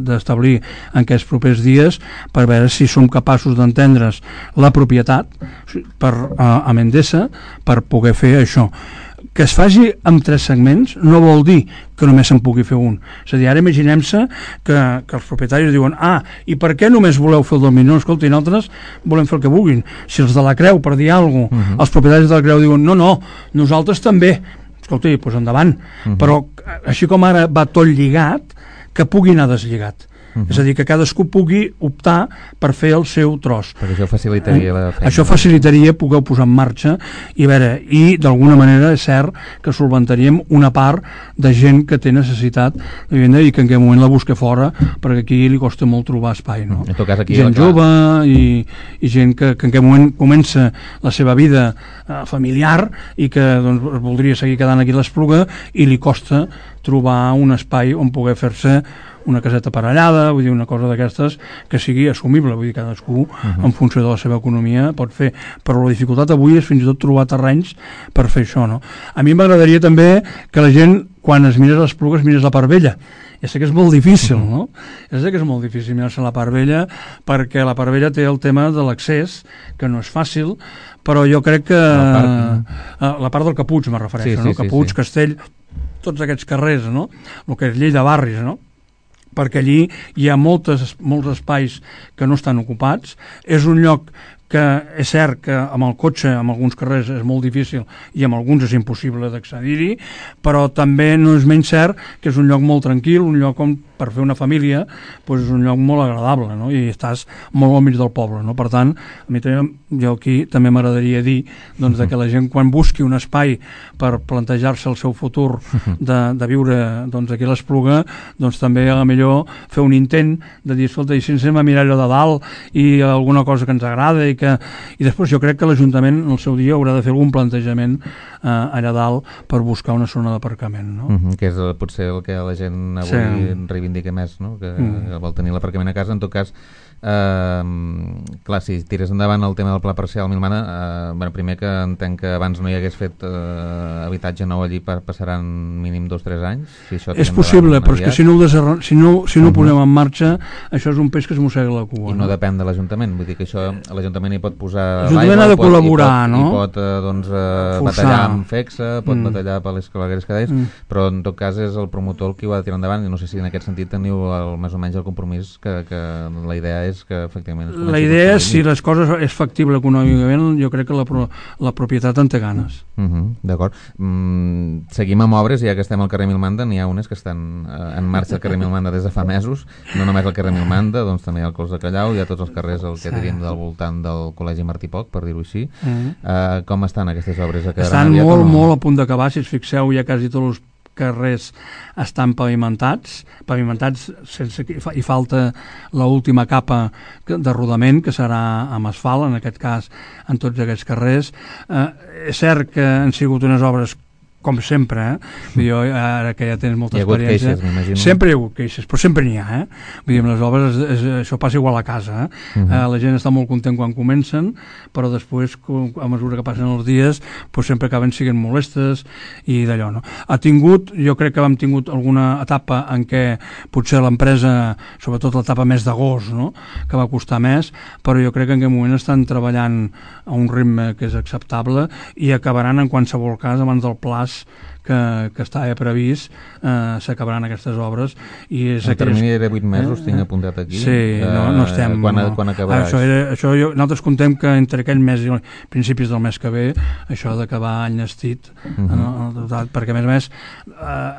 d'establir en aquests propers dies, per veure si som capaços d'entendre's la propietat amb Endesa per poder fer això. Que es faci amb 3 segments no vol dir que només se'n pugui fer un. És a dir, ara imaginem-se que els propietaris diuen i per què només voleu fer el del mig? No, escolti, nosaltres volem fer el que vulguin. Si els de la Creu, per dir alguna cosa, els propietaris de la Creu diuen no, nosaltres també. Escolti, doncs endavant. Però així com ara va tot lligat, que pugui anar deslligat. És a dir, que cadascú pugui optar per fer el seu tros. Perquè això facilitaria la feina. Això facilitaria poder posar en marxa i d'alguna manera és cert que solventaríem una part de gent que té necessitat de vivenda i que en aquest moment la busca fora, perquè aquí li costa molt trobar espai, no? En tot cas, aquí gent jove i gent que en aquest moment comença la seva vida familiar i que voldria seguir quedant aquí a l'Espluga i li costa trobar un espai on poder fer-se una caseta aparellada, vull dir, una cosa d'aquestes que sigui assumible, vull dir, cadascú en funció de la seva economia pot fer, però la dificultat avui és fins i tot trobar terrenys per fer això, no? A mi m'agradaria també que la gent, quan es mires les Esplugues, mires la part vella. Ja sé que és molt difícil, no? Ja sé que és molt difícil mirar-se la part vella, perquè la part vella té el tema de l'accés, que no és fàcil, però jo crec que la part del Capuig me refereixo, no? Capuig, Castell, tots aquests carrers, no? El que és llei de barris, no? Perquè allí hi ha molts espais que no estan ocupats. És un lloc que és cert que amb el cotxe amb alguns carrers és molt difícil i amb alguns és impossible d'accedir-hi, però també no és menys cert que és un lloc molt tranquil, un lloc on per fer una família és un lloc molt agradable, no? I estàs molt al mig del poble, no? Per tant, a mi també, jo aquí també m'agradaria dir que la gent quan busqui un espai per plantejar-se el seu futur de viure aquí a l'Espluga, també a la millor fer un intent de dir, escolta, i si ens anem a mirar allò de dalt i alguna cosa que ens agrada i després jo crec que l'Ajuntament en el seu dia haurà de fer algun plantejament allà dalt per buscar una zona d'aparcament, no? Que és potser el que la gent avui reivindica més, no? Que vol tenir l'aparcament a casa. En tot cas, clar, si tires endavant el tema del pla parcial Milmana, primer que entenc que abans no hi hagués fet habitatge nou allí passaran mínim 2-3 anys. És possible, però és que si no ho posem en marxa, això és un peix que es mossega la cua. I no depèn de l'Ajuntament, vull dir que això l'Ajuntament hi pot posar l'Ajuntament ha de col·laborar, no? I pot batallar amb FEXA, pot batallar per les clavegueres que deies, però en tot cas és el promotor el qui ho ha de tirar endavant i no sé si en aquest sentit teniu més o menys el compromís que la idea és que efectivament... La idea és, si les coses és factible econòmicament, jo crec que la propietat en té ganes. D'acord. Seguim amb obres, ja que estem al carrer Milmanda, n'hi ha unes que estan en marxa al carrer Milmanda des de fa mesos, no només al carrer Milmanda, doncs també al Clos de Callau, hi ha tots els carrers que diríem del voltant del Col·legi Martí Poch, per dir-ho així. Com estan aquestes obres? Estan molt a punt d'acabar, si us fixeu, ja quasi tots els carrers estan pavimentats sense que hi falta l'última capa de rodament, que serà amb asfalt, en aquest cas en tots aquests carrers. És cert que han sigut unes obres com sempre, jo ara que ja tens molta experiència, queixes, m'imagino. Sempre hi ha hagut queixes, però sempre n'hi ha, vull dir, amb les obres això passa igual a casa, la gent està molt content quan comencen, però després a mesura que passen els dies doncs sempre acaben sent molestes i d'allò, no? Jo crec que hem tingut alguna etapa en què potser l'empresa, sobretot l'etapa més d'agost, no?, que va costar més, però jo crec que en aquest moment estan treballant a un ritme que és acceptable i acabaran en qualsevol cas abans del plaç que estava previst, s'acabaran aquestes obres. I el termini era 8 mesos, tinc apuntat aquí. Sí, no estem... Quan acabarà? Nosaltres contem que entre aquell mes i principis del mes que ve això ha d'acabar enllestit, perquè a més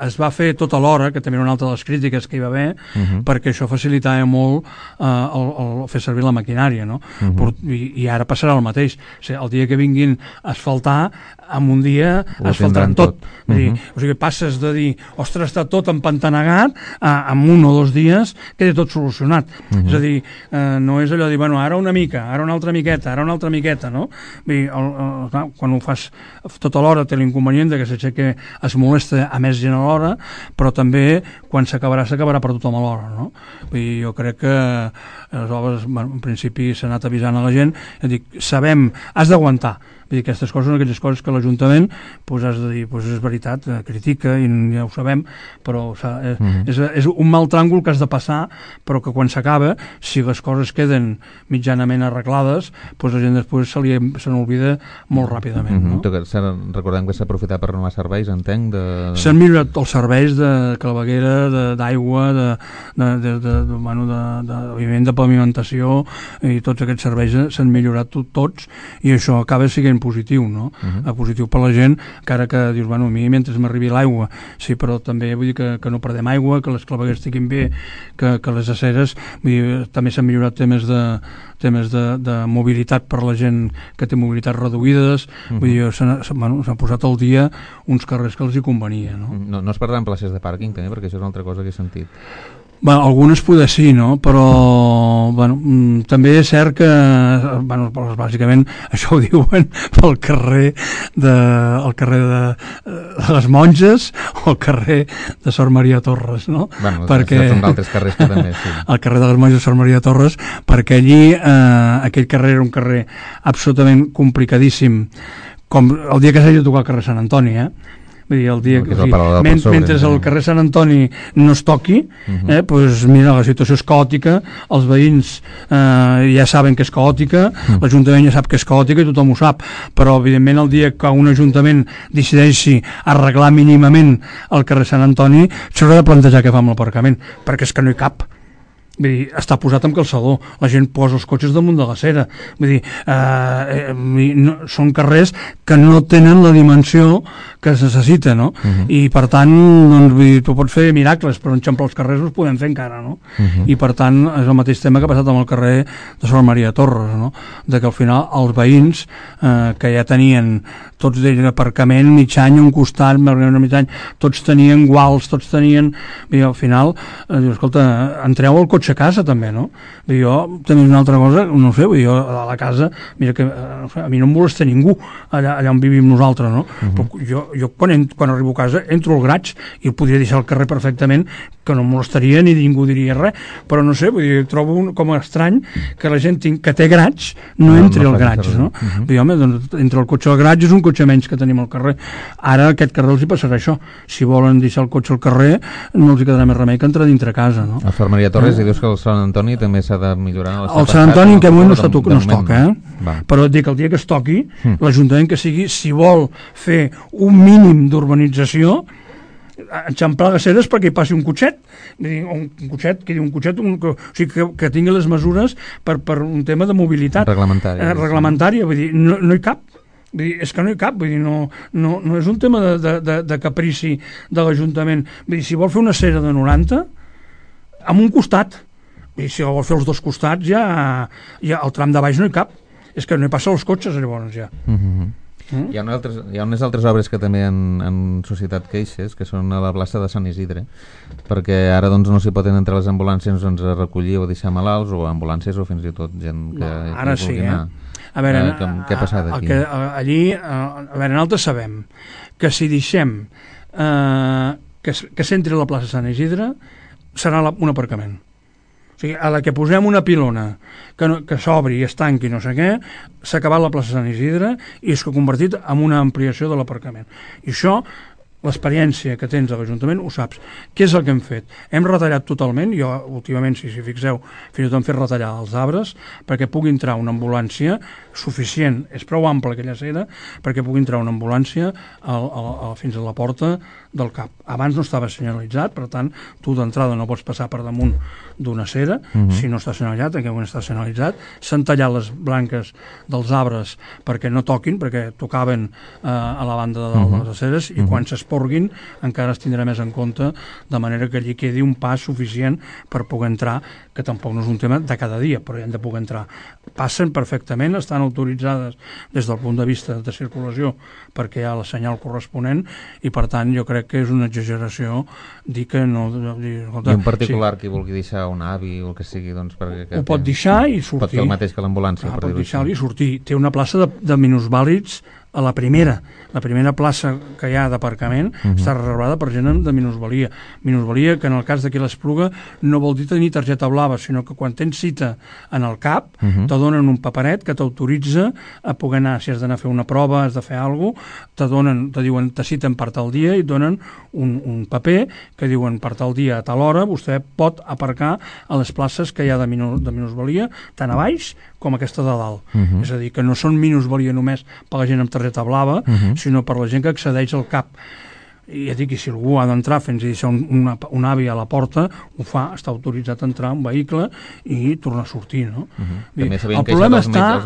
es va fer tot alhora, que també era una altra de les crítiques que hi va haver, perquè això facilitava molt el fer servir la maquinària, no? I ara passarà el mateix. El dia que vinguin a asfaltar, en un dia asfaltaran tot. O sigui, passes de dir, ostres, està tot empantanegat, en 1 o 2 dies queda tot solucionat. És a dir, no és allò de dir, bueno, ara una mica, ara una altra miqueta, ara una altra miqueta, no? Quan ho fas tot alhora té l'inconvenient que s'aixeca, es molesta a més gent a l'hora, però també quan s'acabarà per tothom a l'hora, no? Jo crec que les obres, en principi s'ha anat avisant a la gent, sabem, has d'aguantar. Aquestes coses són aquelles coses que l'Ajuntament has de dir, és veritat, critica i ja ho sabem, però és un mal tràngol que has de passar, però que quan s'acaba, si les coses queden mitjanament arreglades, la gent després se n'olvida molt ràpidament. Recordem que s'ha aprofitat per renovar serveis, entenc? S'han millorat els serveis de claveguera, d'aigua, de pavimentació, i tots aquests serveis s'han millorat tots, i això acaba sent positiu, no? Positiu per la gent, encara que dius, bueno, a mi mentre m'arribi l'aigua, sí, però també vull dir que no perdem aigua, que les clavegueres estiguin bé, que les aceres, vull dir, també s'han millorat temes de mobilitat per la gent que té mobilitat reduïdes, vull dir, s'han posat al dia uns carrers que els hi convenia, no? No es perdran places de pàrquing, també, perquè això és una altra cosa que he sentit. Algunes poder sí, no? Però també és cert que bàsicament això ho diuen pel carrer de les Monges o el carrer de Sor Maria Torres, no? Perquè són d'altres carrers que també, sí. El carrer de les Monges de Sor Maria Torres, perquè allí aquell carrer era un carrer absolutament complicadísim, com el dia que s'hagi de tocar el carrer Sant Antoni, Vull dir, el dia mentre el carrer Sant Antoni no es toqui, doncs mira, la situació és caòtica, els veïns ja saben que és caòtica, l'Ajuntament ja sap que és caòtica i tothom ho sap, però evidentment el dia que un Ajuntament decideixi arreglar mínimament el carrer Sant Antoni s'haurà de plantejar què fa amb l'aparcament, perquè és que no hi cap. Vull dir, està posat amb calçador, la gent posa els cotxes damunt de l'acera, vull dir, són carrers que no tenen la dimensió que es necessita, no? I per tant, doncs, vull dir, tu pots fer miracles, però enxamplar els carrers els podem fer encara, no? I per tant, és el mateix tema que ha passat amb el carrer de Sor Maria Torres, no? De que al final els veïns que ja tenien tots d'ells aparcament mig any, un costat, mig any, tots tenien guals, tots tenien... I al final, dius, escolta, entreu el cotxe a casa també, no? Jo també una altra cosa, no sé, jo a la casa, mira que a mi no em molesta ningú allà on vivim nosaltres, no? Però jo quan arribo a casa entro al graig i el podria deixar al carrer perfectament, que no em molestaria ni ningú diria res, però no sé, vull dir, trobo com estrany que la gent que té graig no entri al graig, no? Vull dir, home, doncs entre el cotxe al graig és un cotxe menys que tenim al carrer. Ara aquest carrer els hi passarà això. Si volen deixar el cotxe al carrer no els hi quedarà més remei que entrar dintre casa, no? A Sor Maria Torres i dius que el Sant Antoni també s'ha de millorar. El Sant Antoni en aquest moment no es toca, però et dic, el dia que es toqui, l'Ajuntament que sigui, si vol fer un mínim d'urbanització, enxamplar les aceres perquè hi passi un cotxet, o sigui, que tingui les mesures per un tema de mobilitat reglamentària, vull dir, no hi cap. Vull dir, és que no hi cap, vull dir, no és un tema de caprici de l'Ajuntament. Vull dir, si vol fer una acera de 90 amb un costat, i si vol fer els dos costats ja el tram de baix no hi cap, és que no hi passa els cotxes llavors ja. Hi ha unes altres obres que també han suscitat queixes, que són a la plaça de Sant Isidre, perquè ara doncs no s'hi poden entrar les ambulàncies a recollir o deixar malalts, o ambulàncies o fins i tot gent que ara sí, anar. A veure, què ha passat aquí? Allí, a veure, nosaltres sabem que si deixem que s'entri a la plaça Sant Isidre serà un aparcament. O sigui, a la que posem una pilona que s'obri i es tanqui no sé què, s'ha acabat la plaça Sant Isidre i és convertit en una ampliació de l'aparcament. I això, l'experiència que tens a l'Ajuntament ho saps. Què és el que hem fet? Hem retallat totalment, jo últimament, si fixeu, fins i tot hem fet retallar els arbres perquè pugui entrar una ambulància suficient, és prou ampla aquella acera perquè pugui entrar una ambulància fins a la porta del CAP. Abans no estava senyalitzat, per tant, tu d'entrada no pots passar per damunt d'una acera, si no està senyalitzat, en aquest moment està senyalitzat. S'han tallat les branques dels arbres perquè no toquin, perquè tocaven a la banda de les aceres, i quan s'esporguin encara es tindrà més en compte, de manera que allí quedi un pas suficient per poder entrar, que tampoc no és un tema de cada dia, però hi han de poder entrar. Passen perfectament, estan autoritzades des del punt de vista de circulació perquè hi ha el senyal corresponent, i per tant jo crec que és una exageració dir que no... I en particular qui vulgui deixar un avi o el que sigui, doncs... Ho pot deixar i sortir. Pot fer el mateix que l'ambulància. Pot deixar-li i sortir. Té una plaça de minusvàlids a la primera plaça que hi ha d'aparcament està reservada per gent de minusvalia. Minusvalia que en el cas de qui l'Espluga no vol dir tenir targeta blava, sinó que quan tens cita en el CAP te donen un paperet que t'autoritza a poder anar, si has d'anar a fer una prova, has de fer alguna cosa, te diuen, te citen per tal dia i et donen un paper que diuen per tal dia a tal hora vostè pot aparcar a les places que hi ha de minusvalia, tant a baix com aquesta de dalt. És a dir, que no són minusvalia només per la gent amb targeta blava, sinó per la gent que accedeix al CAP. I ja dic, si algú ha d'entrar fent deixar un avi a la porta, ho fa, està autoritzat a entrar un vehicle i tornar a sortir, no? El problema està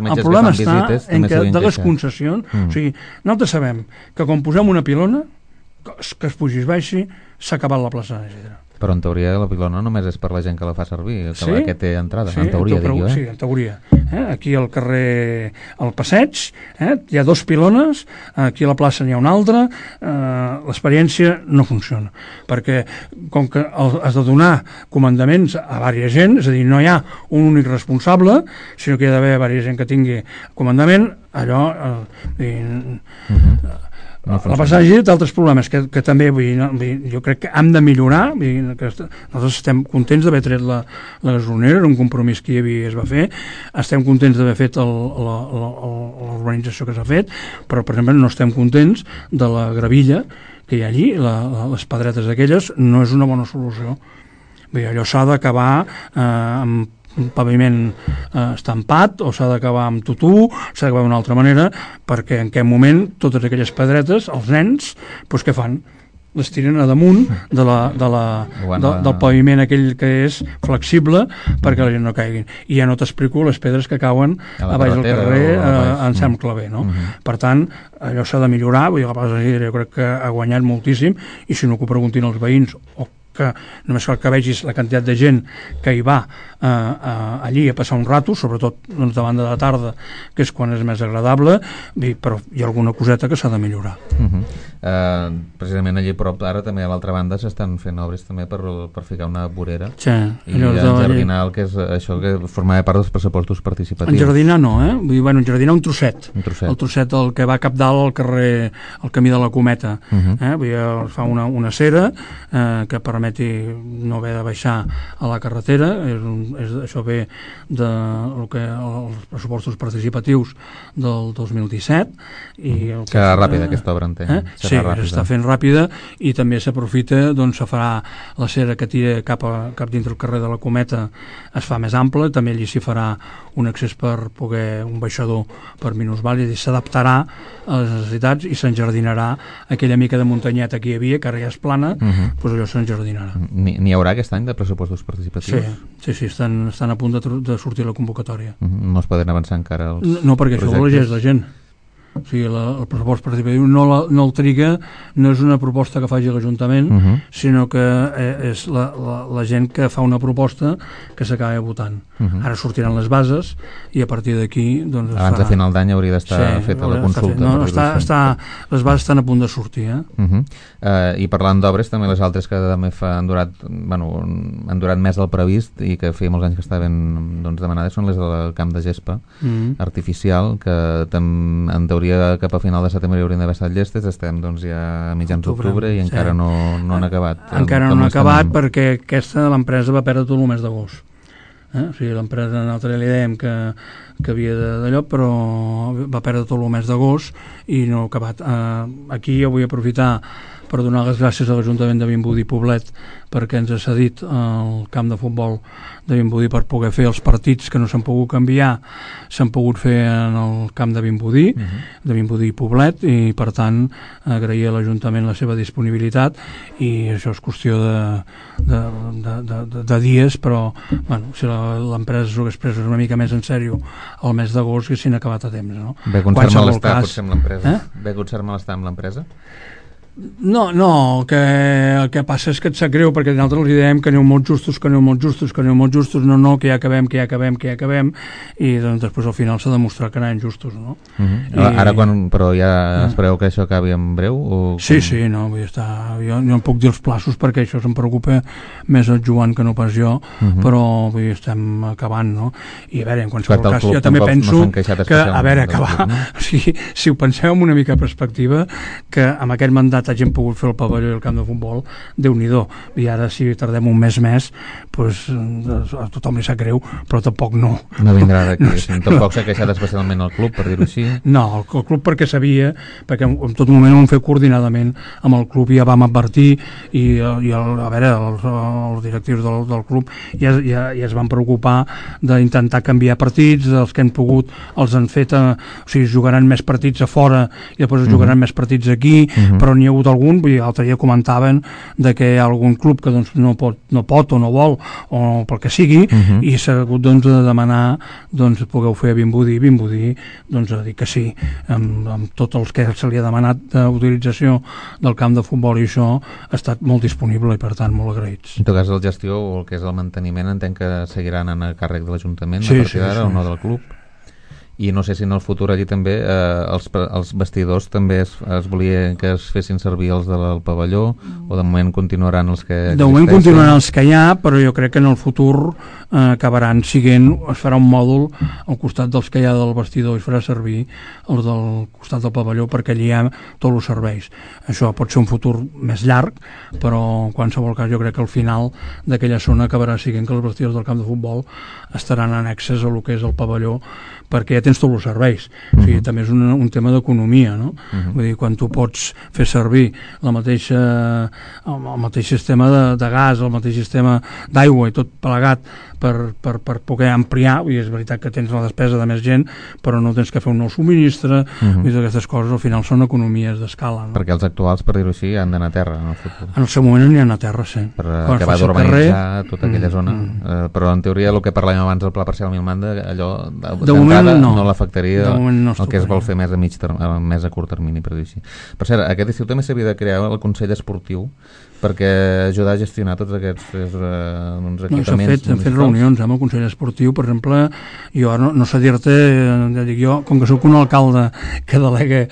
en que de les concessions, o sigui, nosaltres sabem que quan posem una pilona, que es pugi i es baixi, s'ha acabat la plaça de Isidre. Però en teoria la pilona només és per la gent que la fa servir, que té entrada, en teoria, dic jo. Sí, en teoria. Aquí al carrer, al passeig, hi ha 2 pilones, aquí a la plaça n'hi ha una altra, l'experiència no funciona, perquè com que has de donar comandaments a diversa gent, és a dir, no hi ha un únic responsable, sinó que hi ha d'haver diversa gent que tingui comandament, allò... La passatge té altres problemes que també jo crec que hem de millorar. Nosaltres estem contents d'haver tret la gasolinera, era un compromís que hi havia i es va fer, estem contents d'haver fet l'urbanització que s'ha fet, però per exemple no estem contents de la gravilla que hi ha allí, les pedretes aquelles no és una bona solució. Allò s'ha d'acabar amb un paviment estampat, o s'ha d'acabar amb tutú, s'ha d'acabar d'una altra manera, perquè en aquest moment totes aquelles pedretes, els nens, doncs què fan? Les tiren a damunt del paviment aquell que és flexible perquè la gent no caiguin. I ja no t'explico les pedres que cauen a baix del carrer en Sant Claver, no? Per tant, allò s'ha de millorar, vull dir, la plaça de Isidre jo crec que ha guanyat moltíssim, i si no que ho preguntin els veïns, o que només cal que vegis la quantitat de gent que hi va allí a passar un rato, sobretot davant de la tarda, que és quan és més agradable, però hi ha alguna coseta que s'ha de millorar. Precisament allí prop, ara també a l'altra banda s'estan fent obres també per ficar una vorera i enjardinar el que és això que formava part dels pressupostos participatius. Enjardinar no, enjardinar un trosset. El trosset del que va cap dalt al carrer, al camí de la Cometa. Fa una acera que permeti no haver de baixar a la carretera, això ve dels pressupostos participatius del 2017. Serà ràpida aquesta obra, entenc. Sí, s'està fent ràpida, i també s'aprofita, doncs se farà la cera que tira cap dintre el carrer de la Cometa, es fa més ample, també allí s'hi farà un accés per poder, un baixador per minusvàlids, i s'adaptarà a les necessitats i s'enjardinarà aquella mica de muntanyeta que hi havia, que ara ja és plana, doncs allò s'enjardinarà. N'hi haurà aquest any de pressupostos participatius? Sí, estan a punt de sortir la convocatòria. No es poden avançar encara els No, perquè això ho elegeix la gent. O sigui, el pressupost participatiu no el triga, no és una proposta que faci l'Ajuntament, sinó que és la gent que fa una proposta que s'acaba votant. Ara sortiran les bases i a partir d'aquí... Doncs, abans de final d'any hauria d'estar feta la consulta. Les bases estan a punt de sortir. I parlant d'obres, també les altres que també han durat més del previst i que feia molts anys que estaven demanades són les del camp de gespa artificial, que en teoria cap a final de setembre haurien d'haver estat llestes. Estem ja a mitjans d'octubre i encara no han acabat. Encara no han acabat perquè l'empresa va perdre tot el mes d'agost. O sigui, l'empresa nosaltres li dèiem que havia d'allò, però va perdre tot el mes d'agost i no ha acabat. Aquí jo vull aprofitar per donar les gràcies a l'Ajuntament de Vimbodí Poblet perquè ens ha cedit el camp de futbol de Vimbodí per poder fer els partits que no s'han pogut canviar, s'han pogut fer en el camp de Vimbodí, de Vimbodí Poblet, i per tant agrair a l'Ajuntament la seva disponibilitat, i això és qüestió de dies, però si l'empresa s'ho hagués pres una mica més en sèrio el mes d'agost haguessin acabat a temps. Ve concert malestar potser amb l'empresa? Ve concert malestar amb l'empresa? No, el que passa és que et sap greu perquè nosaltres els dèiem que aneu molt justos, no, que ja acabem, i doncs després al final s'ha demostrat que anaven justos, no? Ara però ja espereu que això acabi en breu? Sí, no, vull estar, jo no puc dir els plaços perquè això se'm preocupa més el Joan que no pas jo, però estem acabant, no? I a veure, en qualsevol cas, jo també penso que, a veure, acabar, o sigui, si ho penseu amb una mica de perspectiva, que amb aquest mandat hagin pogut fer el pavelló i el camp de futbol, Déu-n'hi-do. I ara si tardem un mes més, doncs a tothom li sap greu, però tampoc no vindrà d'aquí. Tampoc s'ha queixat especialment el club, per dir-ho així? No, el club perquè sabia, perquè en tot moment ho hem fet coordinadament amb el club, ja vam advertir, i a veure, els directius del club ja es van preocupar d'intentar canviar partits, els que han pogut els han fet, o sigui, jugaran més partits a fora i després jugaran més partits aquí, però n'hi ha hagut algun, l'altre dia comentaven de que hi ha algun club que doncs, no pot o no vol, o pel que sigui, i s'ha hagut de demanar pugueu fer a Vimbodí, ha dit que sí, amb tots els que se li ha demanat d'utilització del camp de futbol, i això ha estat molt disponible i per tant molt agraïts. En tot cas, la gestió o el que és el manteniment entenc que seguiran a càrrec de l'Ajuntament a partir d'ara, o no del club? I no sé si en el futur allí també els vestidors també es volia que es fessin servir els del pavelló, o de moment continuaran els que existeixen? De moment continuaran els que hi ha, però jo crec que en el futur acabaran siguent, es farà un mòdul al costat dels que hi ha del vestidor, i es farà servir els del costat del pavelló perquè allí hi ha tots els serveis. Això pot ser un futur més llarg, però en qualsevol cas jo crec que al final d'aquella zona acabarà siguent que els vestidors del camp de futbol estaran annexes a el que és el pavelló, perquè ja tens tots els serveis. O sigui, també és un tema d'economia, no? Vull dir, quan tu pots fer servir el mateix sistema de gas, el mateix sistema d'aigua i tot plegat per poder ampliar, i és veritat que tens la despesa de més gent, però no tens que fer un nou subministre, i aquestes coses al final són economies d'escala, no? Perquè els actuals, per dir-ho així, han d'anar a terra en el futur. En el seu moment n'hi han a terra, sí. Per acabar d'urbanitzar tota aquella zona. Però en teoria el que parlàvem abans del pla parcial Milmanda, allò d'entrada no l'afectaria el que es vol fer més a curt termini, per dir-ho així. Per cert, aquest estiu també s'havia de crear el Consell Esportiu perquè ajudar a gestionar tots aquests equipaments. Hem fet reunions amb el Consell Esportiu, per exemple, jo no sé dir-te, jo, com que soc un alcalde que delega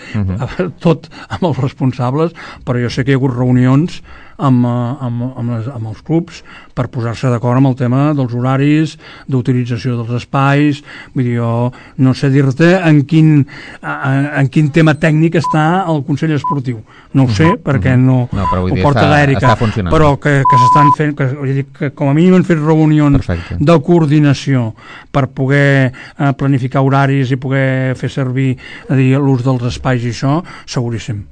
tot amb els responsables, però jo sé que hi ha hagut reunions amb els clubs per posar-se d'acord amb el tema dels horaris, d'utilització dels espais. Vull dir, jo no sé dir-te en quin tema tècnic està el Consell Esportiu. No ho sé, perquè no ho porta l'Èrica, però que s'estan fent, que com a mínim han fet reunions de coordinació per poder planificar horaris i poder fer servir l'ús dels espais i això, seguríssim.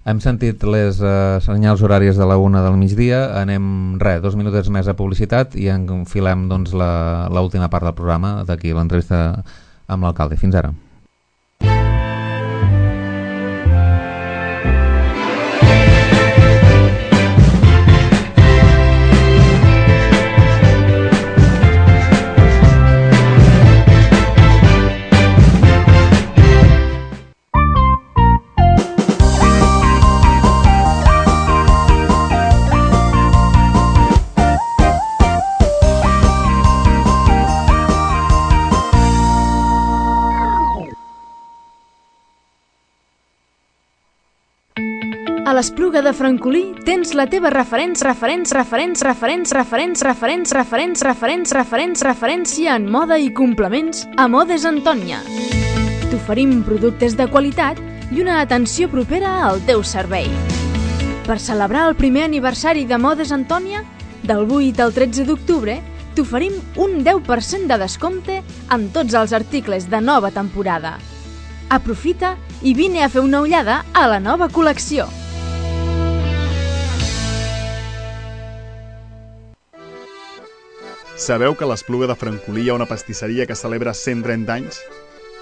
Hem sentit les senyals horàries de la 1 del migdia, anem 2 minutets més a publicitat i enfilem l'última part del programa, d'aquí l'entrevista amb l'alcalde. Fins ara. A l'Espluga de Francolí tens la teva referència en moda i complements a Modes Antònia. T'oferim productes de qualitat i una atenció propera al teu servei. Per celebrar el primer aniversari de Modes Antònia, del 8 al 13 d'octubre, t'oferim un 10% de descompte en tots els articles de nova temporada. Aprofita i vine a fer una ullada a la nova col·lecció. Sabeu que a l'Espluga de Francolí hi ha una pastisseria que celebra 130 anys?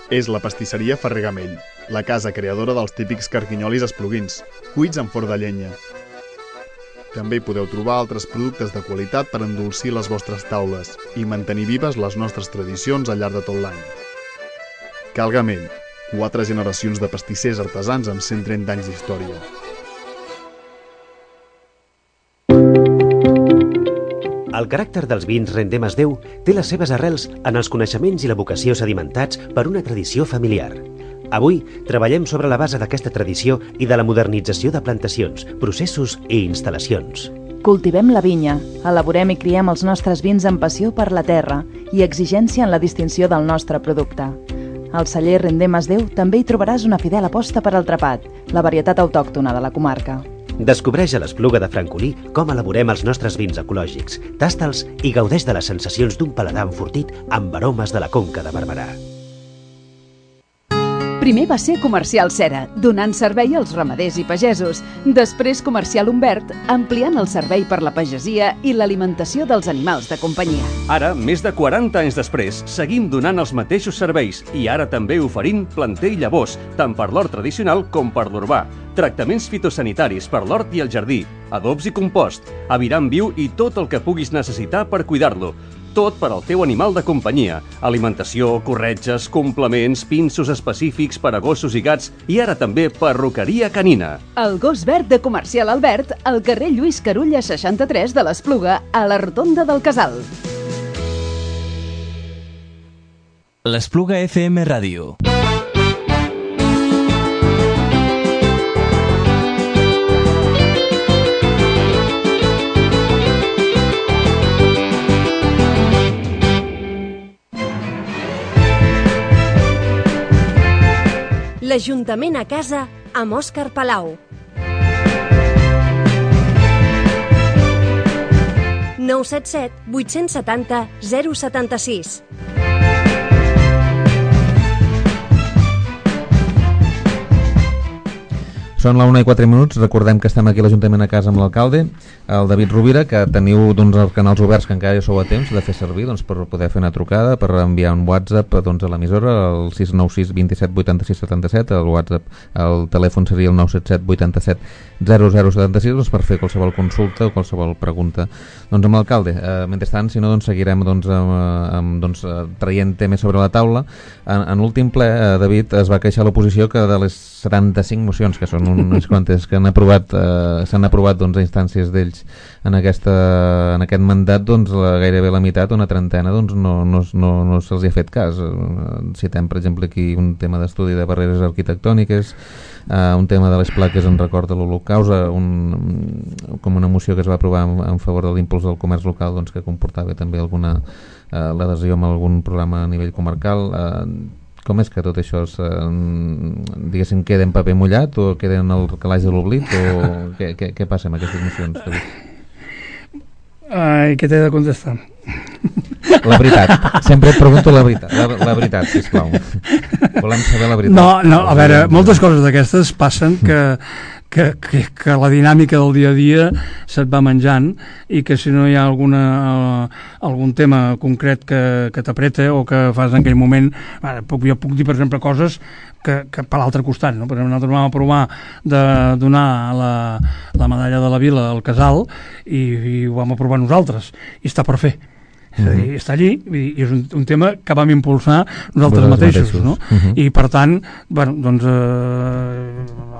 És la pastisseria Ferrer Gamell, la casa creadora dels típics carquinyolis espluguins, cuits en forn de llenya. També hi podeu trobar altres productes de qualitat per endolcir les vostres taules i mantenir vives les nostres tradicions al llarg de tot l'any. Cal Gamell, 4 generacions de pastissers artesans amb 130 anys d'història. El caràcter dels vins Rendem es Déu té les seves arrels en els coneixements i la vocació sedimentats per una tradició familiar. Avui treballem sobre la base d'aquesta tradició i de la modernització de plantacions, processos i instal·lacions. Cultivem la vinya, elaborem i criem els nostres vins amb passió per la terra i exigència en la distinció del nostre producte. Al celler Rendem es Déu també hi trobaràs una fidel aposta per al trapat, la varietat autòctona de la comarca. Descobreix a l'Espluga de Francolí com elaborem els nostres vins ecològics, tasta'ls i gaudeix de les sensacions d'un paladar enfortit amb aromes de la Conca de Barberà. Primer va ser Comercial Cera, donant servei als ramaders i pagesos. Després Comercial Humbert, ampliant el servei per la pagesia i l'alimentació dels animals de companyia. Ara, més de 40 anys després, seguim donant els mateixos serveis i ara també oferint planter i llavors, tant per l'hort tradicional com per l'urbà. Tractaments fitosanitaris per l'hort i el jardí, adobs i compost, aviram viu i tot el que puguis necessitar per cuidar-lo. Tot per al teu animal de companyia. Alimentació, corretges, complements, pinços específics per a gossos i gats i ara també perruqueria canina. El gos verd de Comercial Albert, al carrer Lluís Carulla 63 de l'Espluga, a la Rotonda del Casal. L'Espluga FM Ràdio. L'Ajuntament a casa amb Òscar Palau. 977 870 076. Són la 1:04. Recordem que estem aquí a l'Ajuntament a casa amb l'alcalde, el David Rovira, que teniu els canals oberts que encara ja sou a temps de fer servir per poder fer una trucada, per enviar un WhatsApp a l'emissora, el 696 27 86 77, el WhatsApp, el telèfon seria el 977 87 0076, per fer qualsevol consulta o qualsevol pregunta amb l'alcalde. Mentrestant, si no, seguirem traient temes sobre la taula. En l'últim ple, David, es va queixar l'oposició que de les 75 mocions, que són unes quantes que s'han aprovat a instàncies d'ells en aquest mandat, gairebé la meitat, una trentena, no se'ls ha fet cas. Citem, per exemple, aquí un tema d'estudi de barreres arquitectòniques, un tema de les plaques en record de l'Holocaust, com una moció que es va aprovar en favor de l'impuls del comerç local, que comportava també l'adhesió amb algun programa a nivell comarcal. Com és que tot això diguéssim, queda en paper mullat o queda en el calaix de l'oblit, o què passa amb aquestes mocions? Què t'he de contestar? La veritat, sempre et pregunto la veritat, sisplau. Volem saber la veritat. No, a veure, moltes coses d'aquestes passen que la dinàmica del dia a dia se't va menjant i que si no hi ha algun tema concret que t'apreta o que fas en aquell moment, jo puc dir, per exemple, coses que per l'altre costat, no? Per exemple, nosaltres vam aprovar de donar la medalla de la Vila al Casal i ho vam aprovar nosaltres i està per fer. És a dir, està allí i és un tema que vam impulsar nosaltres mateixos, no? I per tant,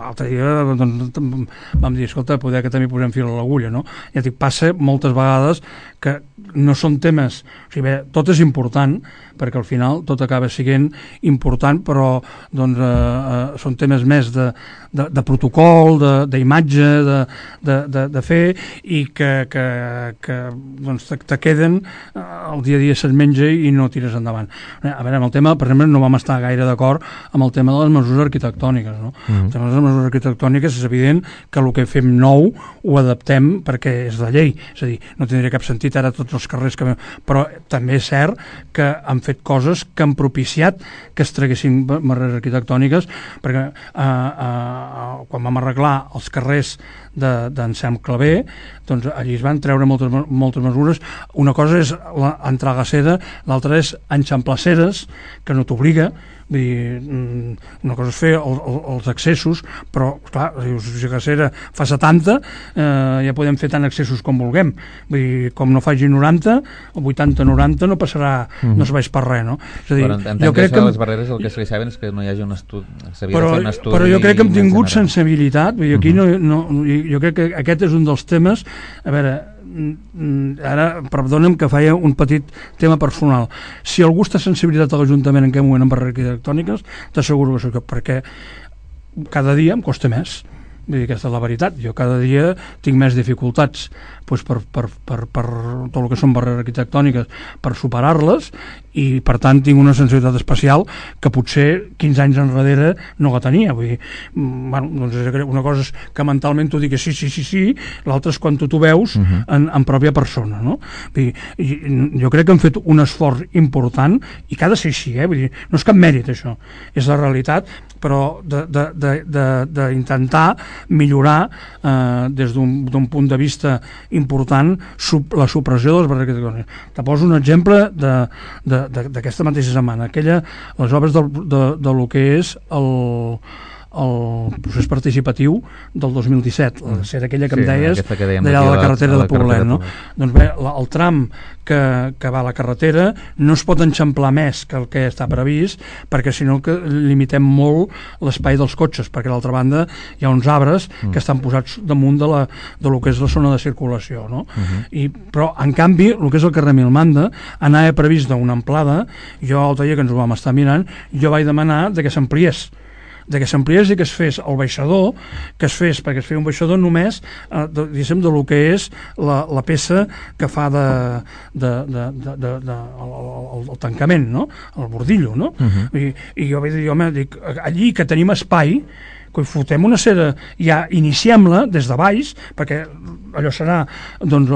l'altre dia vam dir, escolta, poder que també posem fil a l'agulla, no? Ja dic, passa moltes vegades que no són temes, o sigui, bé, tot és important, perquè al final tot acaba sent important, però són temes més de de protocol, d'imatge, de fer, i que doncs, te queden el dia a dia se't menja i no tires endavant. A veure, amb el tema, per exemple, no vam estar gaire d'acord amb el tema de les mesures arquitectòniques, no? El tema de les mesures arquitectòniques és evident que el que fem nou ho adaptem perquè és la llei, és a dir, no tindria cap sentit ara tots els carrers que... Però també és cert que han fet coses que han propiciat que es traguessin barreres arquitectòniques, perquè quan vam arreglar els carrers d'Anselm Clavé, doncs allí es van treure moltes mesures. Una cosa és entrar a Glacera, l'altra és enxamplar aceres, que no t'obliga. Vull dir, una cosa és fer els accessos, però clar, si Glacera fa 70 ja podem fer tant accessos com vulguem. Vull dir, com no faci 90 o 80-90 no passarà, no es vaig per res, no? És a dir, jo crec que les barreres el que es saben és que no hi hagi un estudi, s'havia de fer un estudi. Però jo crec que hem tingut sensibilitat, vull dir, aquí jo crec que aquest és un dels temes. A veure, ara perdona'm que feia un petit tema personal. Si algú està sensibilitat a l'Ajuntament en aquest moment en barreres arquitectòniques, t'asseguro que perquè cada dia em costa més. Vull dir, aquesta és la veritat. Jo cada dia tinc més dificultats doncs per tot el que són barreres arquitectòniques, per superar-les, i per tant tinc una sensibilitat especial que potser 15 anys enrere no la tenia. Vull dir, bueno, doncs una cosa és que mentalment t'ho dic que sí, l'altra és quan tu t'ho veus en pròpia persona, no? Vull dir, jo crec que hem fet un esforç important i que ha de ser així, vull dir, no és cap mèrit això, és la realitat, però d'intentar millorar des d'un punt de vista important la supressió de les barreres arquitectòniques. Te poso un exemple d'aquesta mateixa setmana, les obres de lo que és el procés participatiu del 2017, la ser aquella que em deies d'allà de la carretera de Poblet, no? Doncs bé, el tram que va a la carretera no es pot enxamplar més que el que està previst, perquè si no limitem molt l'espai dels cotxes, perquè a l'altra banda hi ha uns arbres que estan posats damunt de lo que és la zona de circulació, no? Però en canvi el que és el carrer Milmanda anava previst d'una amplada. Jo l'altre dia que ens ho vam estar mirant, jo vaig demanar que s'ampliés i que es fes el baixador, perquè es feia un baixador només diguéssim de lo que és la peça que fa el tancament, no? El bordillo, no? I jo vaig dir, home, allí que tenim espai, que fotem una cera, ja iniciem-la des de baix, perquè allò serà, doncs,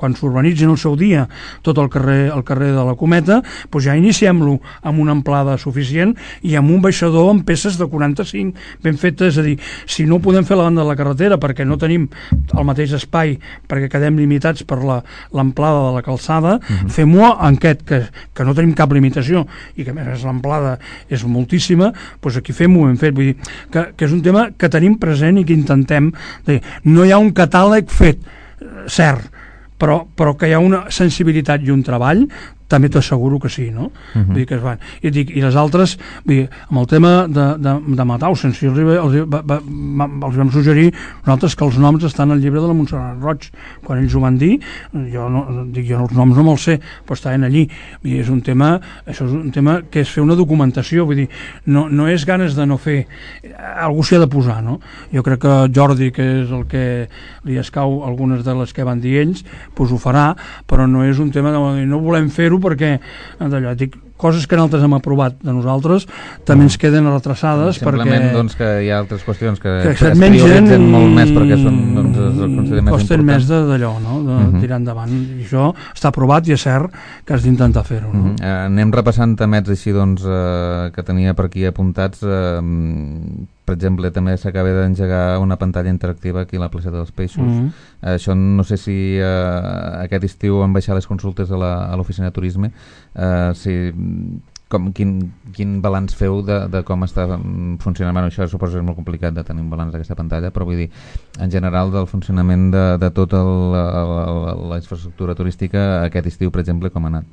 quan s'urbanitzin el seu dia tot el carrer de la Cometa, doncs ja iniciem-lo amb una amplada suficient i amb un baixador amb peces de 45 ben fetes. És a dir, si no ho podem fer a la banda de la carretera perquè no tenim el mateix espai, perquè quedem limitats per l'amplada de la calçada, fem-ho en aquest, que no tenim cap limitació i que a més l'amplada és moltíssima, doncs aquí fem-ho ben fet. Vull dir que és un tema que tenim present i que intentem dir. No hi ha un catàleg fet, cert, però que hi ha una sensibilitat i un treball, també t'asseguro que sí, no? Vull dir que es van. I les altres, vull dir, amb el tema de Mauthausen, els vam suggerir nosaltres que els noms estan al llibre de la Montserrat Roig. Quan ells ho van dir, jo els noms no me'ls sé, però estaven allí. I això és un tema que és fer una documentació, vull dir, no és ganes de no fer, algú s'hi ha de posar, no? Jo crec que Jordi, que és el que li escau algunes de les que van dir ells, doncs ho farà, però no és un tema de no volem fer-ho perquè d'allò, dic, coses que nosaltres hem aprovat de nosaltres també ens queden retrasades simplement doncs que hi ha altres qüestions que es prioritzen molt més perquè són, doncs, es consideren més costen més d'allò, no? De tirar endavant, i això està aprovat i és cert que has d'intentar fer-ho, no? Anem repassant temets així doncs que tenia per aquí apuntats. Per exemple, també s'acaba d'engegar una pantalla interactiva aquí a la placeta dels Peixos. Això no sé si aquest estiu han baixat les consultes a l'oficina de turisme. Quin balanç feu de com està funcionant? Bueno, això suposo que és molt complicat de tenir un balanç d'aquesta pantalla, però vull dir, en general, del funcionament de tota la infraestructura turística aquest estiu, per exemple, com ha anat?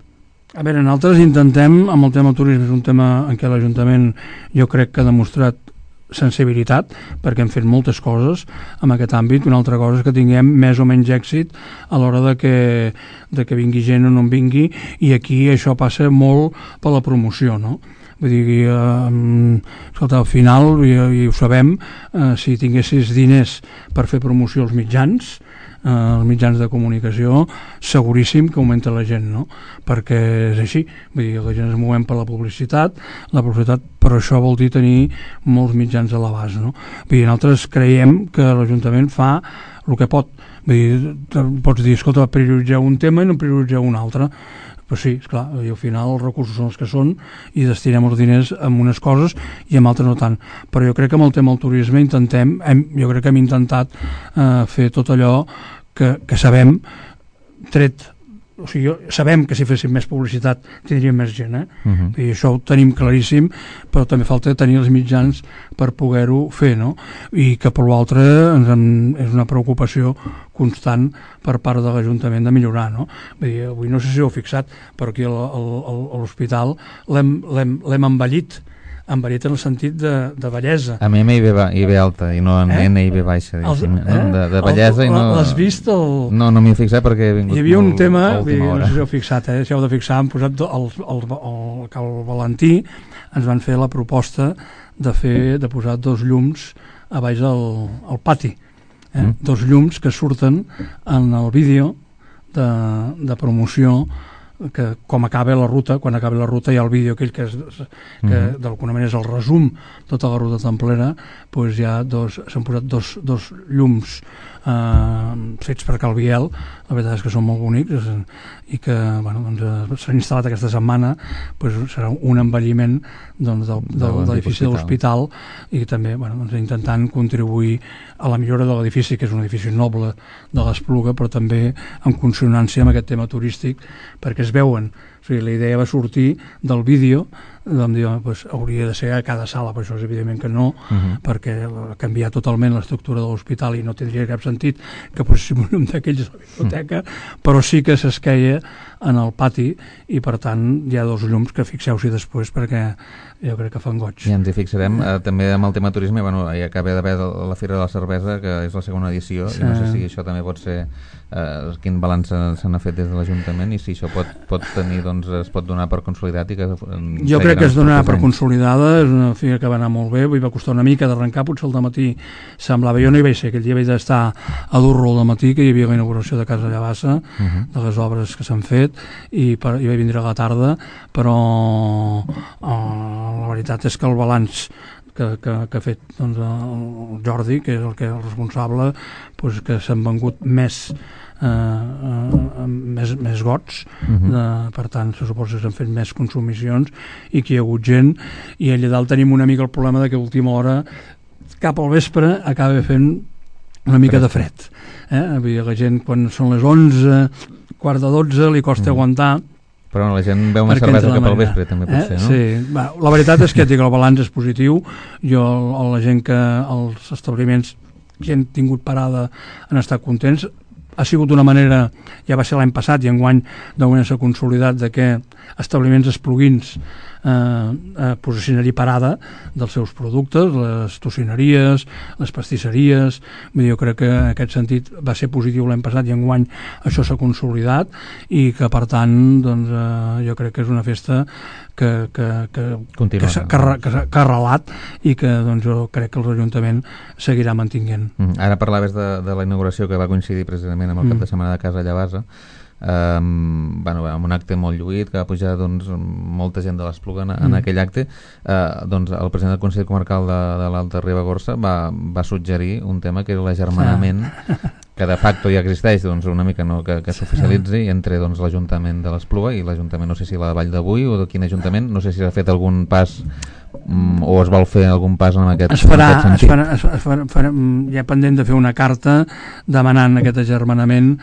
A veure, nosaltres intentem, amb el tema turisme, és un tema en què l'Ajuntament jo crec que ha demostrat sensibilitat, perquè hem fet moltes coses en aquest àmbit. Una altra cosa és que tinguem més o menys èxit a l'hora de que vingui gent o no en vingui, i aquí això passa molt per la promoció, no? vull dir, escolta, al final, i ho sabem, si tinguessis diners per fer promoció als mitjans de comunicació, seguríssim que augmenta la gent, no? Perquè és així, vull dir, la gent es movem per la publicitat, però això vol dir tenir molts mitjans a l'abast, no? Vull dir, nosaltres creiem que l'Ajuntament fa el que pot. Vull dir, pots dir, escolta, prioritzeu un tema i no prioritzeu un altre. Però sí, esclar, i al final els recursos són els que són i destinem els diners en unes coses i en altres no tant. Però jo crec que amb el tema del turisme jo crec que hem intentat fer tot allò que sabem, o sigui, sabem que si féssim més publicitat tindríem més gent, i això ho tenim claríssim, però també falta tenir els mitjans per poder-ho fer, no? I que per l'altre és una preocupació constant per part de l'Ajuntament de millorar, no? Vull dir, avui no sé si ho heu fixat, però aquí a l'hospital l'hem embellit en el sentit de bellesa. A mi I ve alta i no en N I ve baixa, de bellesa. L'has vist? No m'hi he fixat perquè he vingut. Hi havia un tema, no sé si heu fixat, si heu de fixar, han posat el Valentí, ens van fer la proposta de posar 2 llums a baix al pati, 2 llums que surten en el vídeo de promoció, que com acaba la ruta, quan acaba la ruta hi ha el vídeo aquell que d'alguna manera és el resum tota la ruta templera, doncs s'han posat dos llums fets per Calviel, la veritat és que són molt bonics i que s'han instal·lat aquesta setmana, serà un embelliment de l'edifici de l'hospital i també intentant contribuir a la millora de l'edifici, que és un edifici noble de l'Espluga, però també en consonància amb aquest tema turístic, perquè es veuen. O sigui, la idea va sortir del vídeo, vam dir, hauria de ser a cada sala, però això és evidentment que no, perquè canviar totalment l'estructura de l'hospital i no tindria cap sentit que poséssim un llum d'aquells a la biblioteca, però sí que s'esqueia en el pati i per tant hi ha 2 llums que fixeu-s'hi després perquè jo crec que fan goig. I ens hi fixarem també amb el tema turisme. Hi acaba d'haver la Fira de la Cervesa, que és la segona edició, i no sé si això també pot ser quin balanç se n'ha fet des de l'Ajuntament i si això pot tenir, es pot donar per consolidat i que jo crec que es donarà per consolidada. És una fira que va anar molt bé, va costar una mica d'arrencar, potser al dematí semblava, jo no hi vaig ser, aquell dia vaig estar a Durro al dematí, que hi havia la inauguració de Casa Llavassa, de les obres que s'han fet, i vaig vindre a la tarda, però la veritat és que el balanç que ha fet el Jordi, que és el responsable, que s'han vengut més gots, per tant se suposa que s'han fet més consumicions i que hi ha hagut gent, i allà dalt tenim una mica el problema que a última hora cap al vespre acaba fent una mica de fred, la gent quan són les 11, quart de 12 li costa aguantar. Però la gent veu una cervesa cap al vespre, també pot ser, no? Sí, la veritat és que el balanç és positiu. La gent que els establiments que han tingut parada han estat contents. Ha sigut d'una manera, ja va ser l'any passat i enguany d'alguna s'ha consolidat de que establiments espluguins posicionaria parada dels seus productes, les tocineries, les pastisseries. Jo crec que en aquest sentit va ser positiu l'any passat i enguany això s'ha consolidat i que per tant jo crec que és una festa que ha arrelat i que jo crec que l'Ajuntament seguirà mantinguent. Ara parlaves de la inauguració que va coincidir precisament amb el cap de setmana de Casa Llavassa, amb un acte molt lluït que va pujar molta gent de l'Espluga en aquell acte. El president del Consell Comarcal de l'Alta Ribagorça va suggerir un tema que era l'agermanament, que de facto ja existeix, una mica que s'oficialitzi entre l'Ajuntament de l'Espluga i l'Ajuntament, no sé si la de Vall d'Avui o de quin ajuntament, no sé si s'ha fet algun pas o es vol fer algun pas en aquest sentit. Hi ha pendent de fer una carta demanant aquest agermanament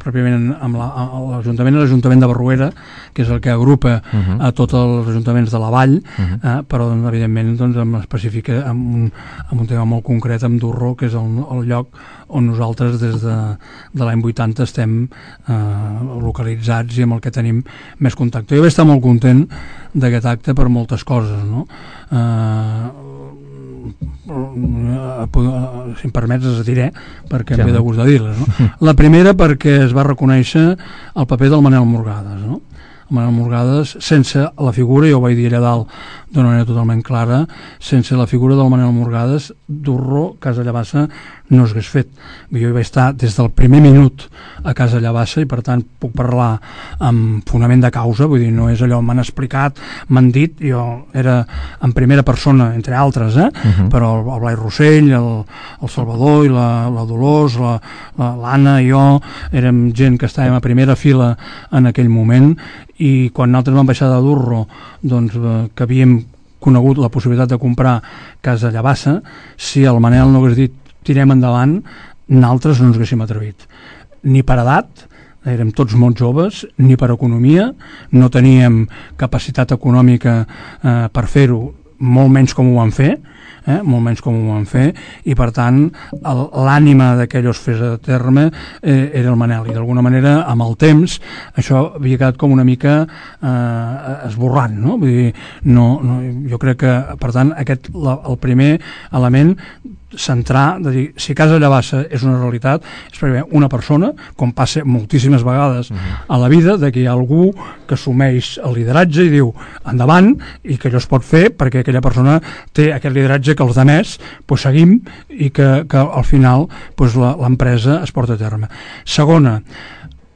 pròpiament amb l'Ajuntament de Barruera, que és el que agrupa a tots els ajuntaments de la vall, però evidentment específica amb un tema molt concret amb Durro, que és el lloc on nosaltres des de l'any 80 estem localitzats i amb el que tenim més contacte. Jo vaig estar molt content d'aquest acte per moltes coses, no? Si em permets les diré perquè em ve de gust de dir-les, no? La primera perquè es va reconèixer el paper del Manel Morgades, no? el Manel Morgades, sense la figura, jo ho vaig dir allà dalt d'una manera totalment clara, sense la figura del Manel Morgades, Durro, Casa Llavassa, no s'hagués fet. Jo hi vaig estar des del primer minut a Casa Llavassa i per tant puc parlar amb fonament de causa, vull dir, no és allò m'han explicat, m'han dit, jo era en primera persona, entre altres, però el Blai Rossell, el Salvador i la Dolors, l'Anna i jo, érem gent que estàvem a primera fila en aquell moment, i quan nosaltres vam baixar de Durro, doncs que havíem conegut la possibilitat de comprar Casa Llavassa, si el Manel no hagués dit tirem endavant, nosaltres no ens haguéssim atrevit. Ni per edat, érem tots molt joves, ni per economia, no teníem capacitat econòmica per fer-ho, molt menys com ho van fer, i per tant l'ànima que allò es fes a terme era el Manel, i d'alguna manera amb el temps això havia quedat com una mica esborrant, no? Vull dir, jo crec que per tant el primer element centrar, de dir, si Casa Llavassa és una realitat, és perquè una persona, com passa moltíssimes vegades a la vida, de que hi ha algú que assumeix el lideratge i diu endavant, i que allò es pot fer perquè aquella persona té aquest lideratge que els altres pues, seguim, i que al final pues, l'empresa es porta a terme. Segona,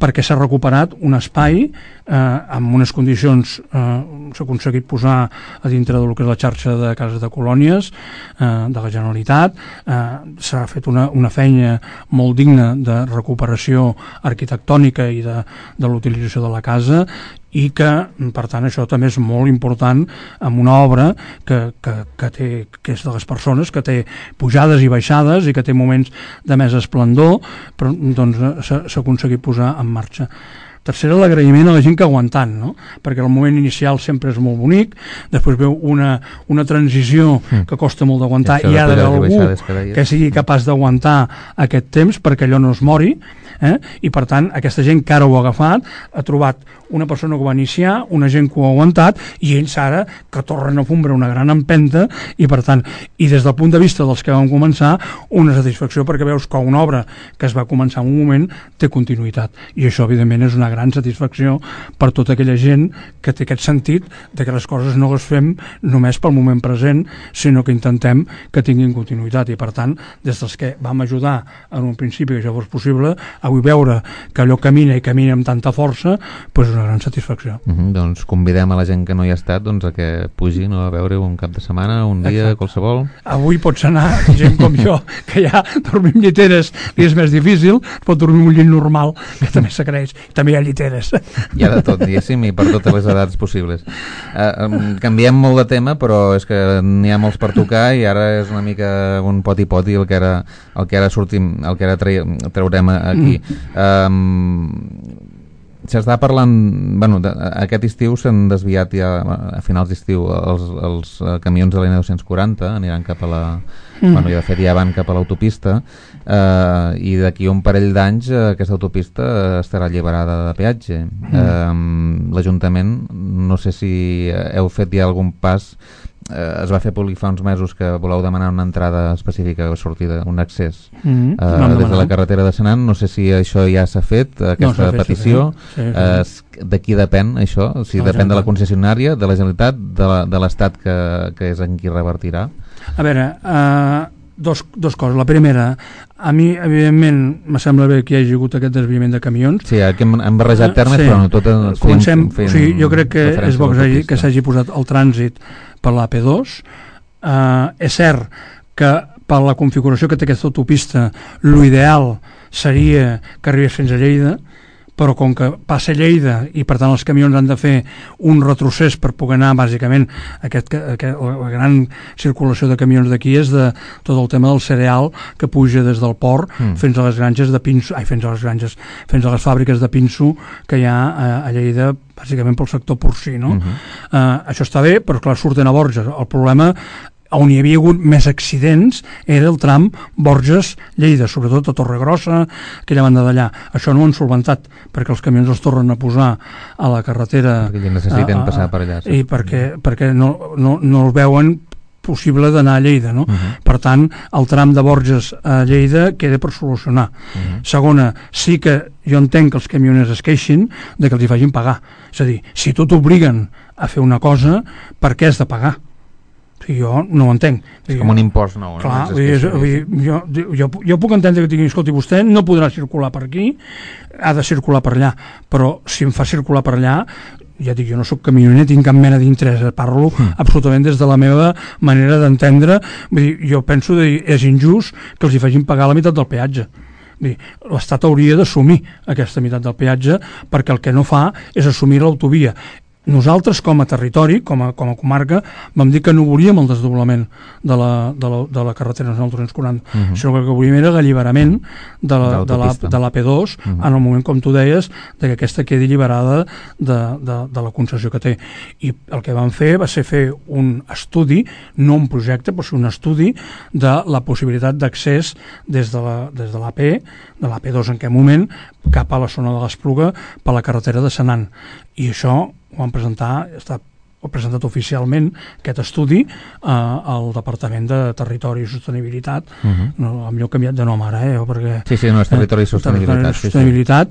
perquè s'ha recuperat un espai amb unes condicions, s'ha aconseguit posar a dintre del que és la xarxa de cases de colònies de la Generalitat, s'ha fet una feina molt digna de recuperació arquitectònica i de l'utilització de la casa, i que, per tant, això també és molt important amb una obra que és de les persones, que té pujades i baixades i que té moments de més esplendor, però doncs s'ha aconseguit posar en marxa. Tercera, l'agraïment a la gent que ha aguantant, no? Perquè el moment inicial sempre és molt bonic, després veu una transició que costa molt d'aguantar, i hi ha d'haver algú que sigui capaç d'aguantar aquest temps perquè allò no es mori, i per tant aquesta gent que ara ho ha agafat ha trobat una persona que ho va iniciar, una gent que ho ha aguantat, i ells ara que tornen a fondre una gran empenta, i per tant, i des del punt de vista dels que van començar, una satisfacció perquè veus que una obra que es va començar en un moment té continuïtat, i això evidentment és una gran satisfacció per tota aquella gent que té aquest sentit de que les coses no les fem només pel moment present, sinó que intentem que tinguin continuïtat, i per tant des dels que vam ajudar en un principi que això fos possible, avui veure que allò camina i camina amb tanta força, doncs és una gran satisfacció. Doncs convidem a la gent que no hi ha estat a que pugi a veure un cap de setmana, un dia, qualsevol. Avui pots anar, gent com jo, que ja dormim lliteres i és més difícil, pot dormir un llit normal, que també s'agraeix, també hi ha lliteres. Hi ha de tot, diguéssim, i per totes les edats possibles. Canviem molt de tema, però és que n'hi ha molts per tocar, i ara és una mica un poti-poti el que ara traurem aquí. S'està parlant, aquest estiu s'han desviat ja, a finals d'estiu, els camions de la N240 aniran cap a de fet ja van cap a l'autopista, i d'aquí un parell d'anys aquesta autopista estarà alliberada de peatge. L'Ajuntament, no sé si heu fet ja algun pas, es va fer públic fa uns mesos que voleu demanar una entrada específica de sortida, un accés des de la carretera de Senan. No sé si això ja s'ha fet, aquesta petició. De qui depèn això? Si depèn de la concessionària, de la Generalitat, de l'Estat, que és en qui revertirà? A veure, dos coses. La primera, a mi evidentment me sembla bé que hi hagi hagut aquest desviament de camions. Sí, aquí hem barrejat termes, però no tot comencem, jo crec que és bo que s'hagi posat el trànsit per l'AP2. És cert que per la configuració que té aquesta autopista l'ideal seria que arribés fins a Lleida, però com que passa Lleida i per tant els camions han de fer un retrocés per poder anar, bàsicament la gran circulació de camions d'aquí és de tot el tema del cereal que puja des del port fins a les granges de pinso, fins a les fàbriques de pinso que hi ha a Lleida, bàsicament pel sector porcí, no? Això està bé, però clar, surten a Borges. El problema on hi havia hagut més accidents era el tram Borges-Lleida, sobretot a Torregrossa, aquella banda d'allà. Això no ho han solventat, perquè els camions els tornen a posar a la carretera. Perquè necessiten passar per allà. I perquè no els veuen possible d'anar a Lleida, no? Per tant, el tram de Borges a Lleida queda per solucionar. Segona, sí que jo entenc que els camioners es queixin de que els hi facin pagar. És a dir, si tu t'obliguen a fer una cosa, per què has de pagar? Jo no ho entenc. És com un impost nou. Clar, jo puc entendre que digui, escolti, vostè no podrà circular per aquí, ha de circular per allà, però si em fa circular per allà, ja dic, jo no soc camioner, tinc cap mena d'interès, parlo absolutament des de la meva manera d'entendre. Vull dir, jo penso que és injust que els hi facin pagar la meitat del peatge. L'Estat hauria d'assumir aquesta meitat del peatge, perquè el que no fa és assumir l'autovia. Nosaltres, com a territori, com a comarca, vam dir que no volíem el desdoblament de la carretera nacional 340, sinó que el que volíem era l'alliberament de l'AP2 en el moment, com tu deies, que aquesta quedi alliberada de la concessió que té. I el que vam fer va ser fer un estudi, no un projecte, però un estudi de la possibilitat d'accés des de l'AP, de l'AP2 en aquell moment, cap a la zona de l'Espluga per la carretera de Senan. I això ho vam presentar, ho ha presentat oficialment aquest estudi al Departament de Territori i Sostenibilitat. Em he canviat de nom ara, perquè... Sí, no, és Territori i Sostenibilitat.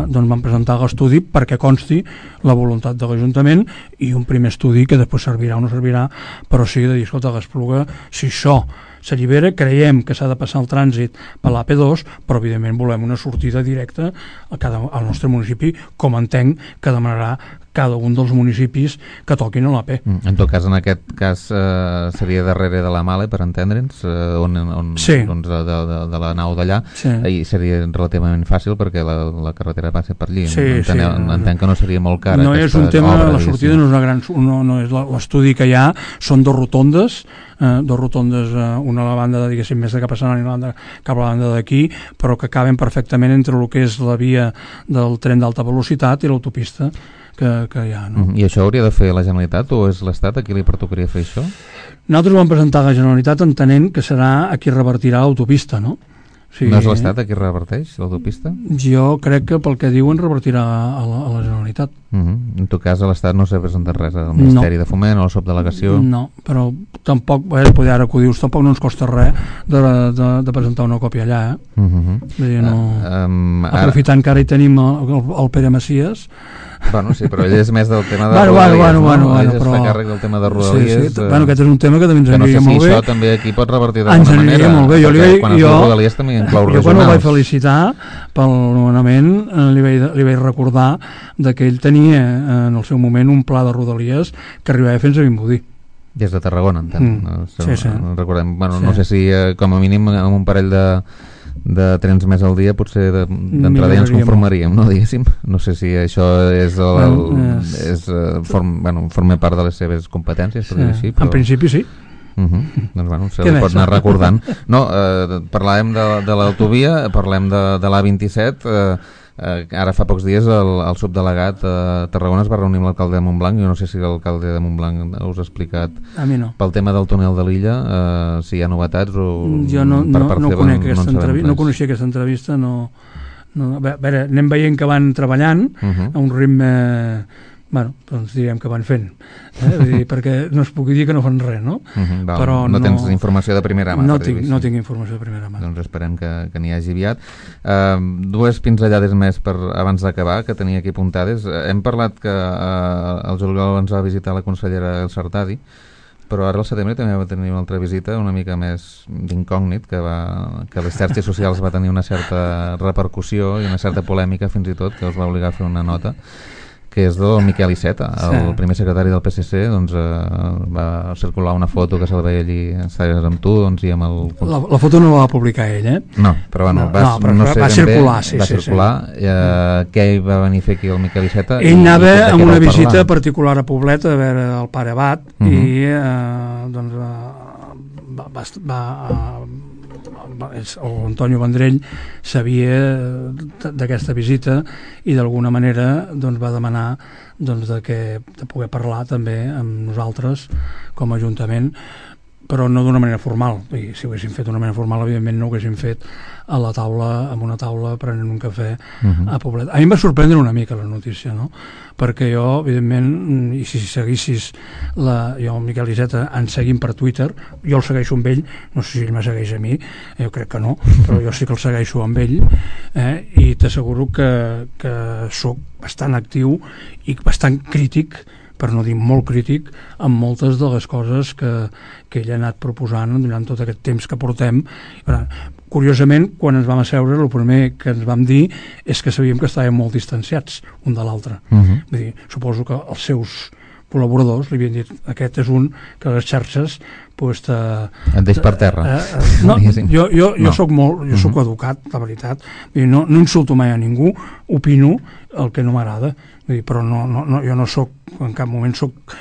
Doncs vam presentar l'estudi perquè consti la voluntat de l'Ajuntament i un primer estudi que després servirà o no servirà, però sí de dir, escolta, l'Espluga, si això s'allibera, creiem que s'ha de passar el trànsit per l'AP2, però evidentment volem una sortida directa al nostre municipi, com entenc que demanarà cada un dels municipis que toquin a l'AP. En tot cas, en aquest cas seria darrere de la Male, per entendre'ns, de la nau d'allà, i seria relativament fàcil perquè la carretera passa per allí. Entenc que no seria molt cara. No és un tema, la sortida no és una gran... No és l'estudi que hi ha, són dos rotondes, una a la banda de, diguéssim, més de cap a Sant Ani, cap a la banda d'aquí, però que caben perfectament entre el que és la via del tren d'alta velocitat i l'autopista que hi ha. No? I això hauria de fer la Generalitat o és l'Estat a qui li pertocaria fer això? Nosaltres ho vam presentar a la Generalitat entenent que serà a qui revertirà l'autopista, no? No és l'Estat a qui reverteix l'autopista? Jo crec que pel que diuen revertirà a la Generalitat. En tot cas, a l'Estat no s'ha presentat res al Ministeri de Foment o a la subdelegació? No, però tampoc, poder ara que ho dius, tampoc no ens costa res de presentar una còpia allà. Aprofitant que ara hi tenim el Pere Macias. Bueno, sí, però ell és més del tema de Rodalies, ell es fa càrrec del tema de Rodalies. Aquest és un tema que també ens aniria molt bé. Que no sé si això també aquí pot revertir d'alguna manera. Ens aniria molt bé. Jo quan el vaig felicitar pel nomenament li vaig recordar que ell tenia en el seu moment un pla de Rodalies que arribava fins a Vimbodí. Des de Tarragona, entenc. Recordem, no sé si com a mínim amb un parell de trens més al dia potser d'entrada ja ens conformaríem, no, diguéssim. No sé si això forma part de les seves competències, per dir així. En principi sí. Doncs se li pot anar recordant. No, parlàvem de l'autovia, parlem de l'A27. Ara fa pocs dies el subdelegat a Tarragona es va reunir amb l'alcalde de Montblanc. Jo no sé si l'alcalde de Montblanc us ha explicat pel tema del túnel de l'illa, si hi ha novetats o jo no coneixia aquesta entrevista. A veure, anem veient que van treballant a un ritme, doncs direm que van fent, perquè no es pugui dir que no fan res, no? Però no tens informació de primera mà. No tinc informació de primera mà. Doncs esperem que n'hi hagi aviat. Dues pinzellades més abans d'acabar, que tenia aquí apuntades. Hem parlat que el juliol ens va visitar la consellera El Sartadi, però ara al setembre també va tenir una altra visita una mica més d'incògnit, que a les xarxes socials va tenir una certa repercussió i una certa polèmica fins i tot, que els va obligar a fer una nota, que és del Miquel Iceta, el primer secretari del PSC. Doncs va circular una foto que se'l veia allí, estaves amb tu, i amb el... La foto no la va publicar ell, No, però va circular, sí. Què hi va venir a fer aquí el Miquel Iceta? Ell anava amb una visita particular a Poblet a veure el pare Abat, i doncs l'Antonio Vendrell sabia d'aquesta visita i d'alguna manera va demanar de poder parlar també amb nosaltres com a Ajuntament. però no d'una manera formal. I si ho haguéssim fet d'una manera formal, evidentment no ho haguéssim fet a la taula, amb una taula prenent un cafè a Poblet. A mi em va sorprendre una mica la notícia, no? Perquè jo, evidentment, i si seguissis jo, el Miquel Iceta, ens seguim per Twitter, jo el segueixo amb ell, no sé si ell me segueix a mi, jo crec que no, però jo sí que el segueixo amb ell, i t'asseguro que sóc bastant actiu i bastant crític, per no dir molt crític, amb moltes de les coses que ell ha anat proposant durant tot aquest temps que portem. Curiosament, quan ens vam asseure, el primer que ens vam dir és que sabíem que estàvem molt distanciats un de l'altre. Vull dir, suposo que els seus col·laboradors li havien dit, aquest és un que les xarxes et deix per terra. Jo soc educat, la veritat, no insulto mai a ningú, opino el que no m'agrada, però jo no soc, en cap moment soc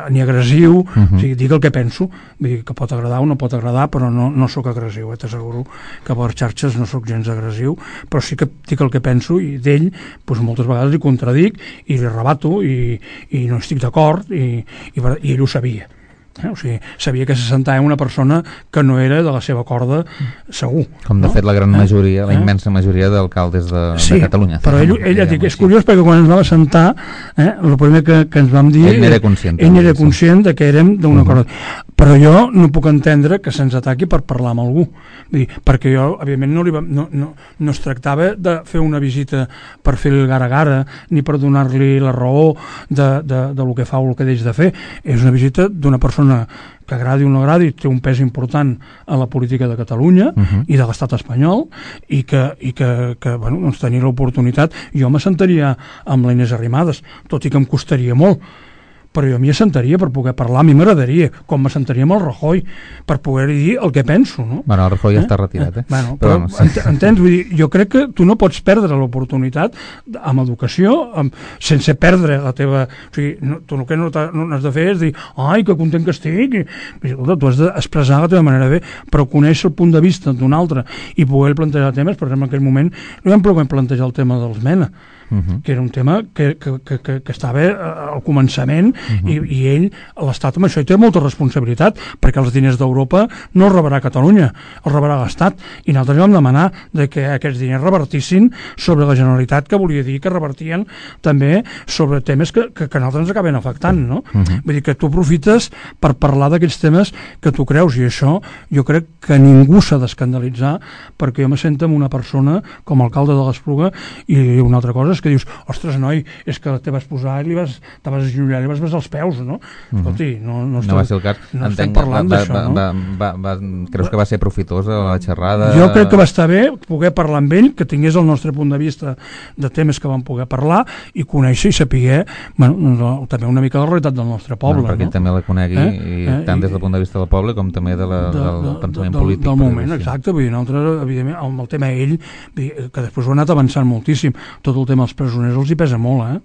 ni agressiu, dic el que penso, que pot agradar o no pot agradar, però no soc agressiu, t'asseguro que per xarxes no soc gens agressiu, però sí que dic el que penso, i d'ell moltes vegades li contradic i li rebato i no estic d'acord, i ell ho sabia. O sigui, sabia que se sentava una persona que no era de la seva corda, segur. Com de fet la gran majoria, la immensa majoria d'alcaldes de Catalunya. Però ell és curiós perquè quan ens vam assentar, el primer que ens vam dir, ell era conscient de que érem d'una corda. Però jo no puc entendre que se'ns ataqui per parlar amb algú, perquè jo, evidentment, no es tractava de fer una visita per fer el gara-gara, ni per donar-li la raó del que fa o el que deix de fer. És una visita d'una persona que agradi o no agradi, té un pes important a la política de Catalunya i de l'estat espanyol, i que tenir l'oportunitat, jo m'assentaria amb la Inés Arrimadas, tot i que em costaria molt, però jo m'hi assentaria per poder parlar, a mi m'agradaria, com m'assentaria amb el Rajoy, per poder dir el que penso, no? Bueno, el Rajoy ja està retirat, però entens? Vull dir, jo crec que tu no pots perdre l'oportunitat amb educació, sense perdre la teva... O sigui, tu el que no has de fer és dir, ai, que content que estic, tu has d'expressar la teva manera de fer, però conèixer el punt de vista d'un altre i poder plantejar temes. Per exemple, en aquell moment no vam poder plantejar el tema dels MENA, que era un tema que estava al començament, i ell, l'Estat, amb això hi té molta responsabilitat, perquè els diners d'Europa no els rebrà Catalunya, els rebrà l'Estat, i nosaltres vam demanar que aquests diners revertissin sobre la Generalitat, que volia dir que revertien també sobre temes que nosaltres ens acaben afectant, no? Vull dir que tu aprofites per parlar d'aquests temes que tu creus, i això jo crec que ningú s'ha d'escandalitzar, perquè jo me sento amb una persona com a alcalde de l'Espluga, i una altra cosa és que dius, ostres, noi, és que te vas posar i te vas agenollar i vas besar els peus, no? Escolti, no va ser el cas. No estem parlant d'això, no? Creus que va ser profitós la xerrada? Jo crec que va estar bé poder parlar amb ell, que tingués el nostre punt de vista de temes que vam poder parlar, i conèixer i saber també una mica la realitat del nostre poble, perquè ell també la conegui, tant des del punt de vista del poble com també del pensament polític. Del moment, exacte. Vull dir, nosaltres, evidentment, amb el tema ell, que després ho ha anat avançant moltíssim, tot el tema dels presoners els hi pesa molt,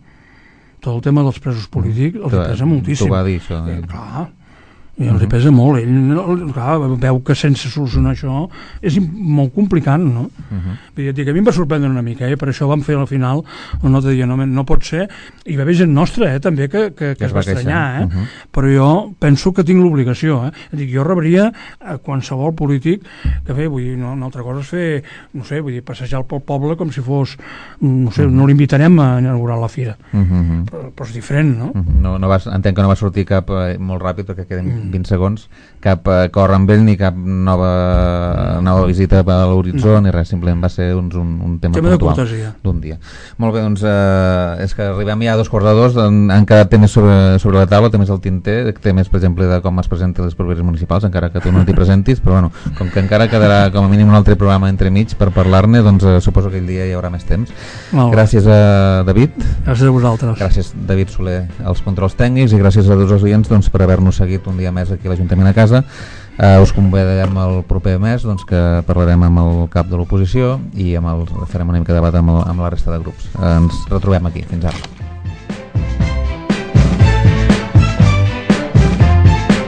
tot el tema dels presos polítics els hi pesa moltíssim. Tu va dir això. Clar, i els hi pesa molt. Ell, clar, veu que sense solucionar això és molt complicat, no? Vull dir, que a mi em va sorprendre una mica, per això vam fer al final la nota de dir, no pot ser, i va haver gent nostra, també, que es va estranyar, però jo penso que tinc l'obligació, dic, jo rebria a qualsevol polític que fer, vull dir, una altra cosa és fer, no sé, vull dir, passejar pel poble com si fos, no sé, no l'invitarem a inaugurar la fira, però és diferent, no? Entenc que no va sortir cap molt ràpid, perquè queden 20 segons, cap acord amb ell ni cap nova visita a l'horitzó ni res, simplement va ser un tema puntual d'un dia. Molt bé, doncs és que arribem ja a 2:45, han quedat temes sobre la taula, temes del tinter, temes, per exemple, de com es presenten les properes municipals, encara que tu no t'hi presentis, però bueno, com que encara quedarà com a mínim un altre programa entremig per parlar-ne, doncs suposo que aquell dia hi haurà més temps. Gràcies a David. Gràcies a vosaltres. Gràcies, David Soler, als controls tècnics, i gràcies a tots els oients per haver-nos seguit un dia més aquí a l'Ajuntament a Casa. Us convidarem el proper mes, que parlarem amb el cap de l'oposició i farem una mica de debat amb la resta de grups. Ens retrobem aquí. Fins ara.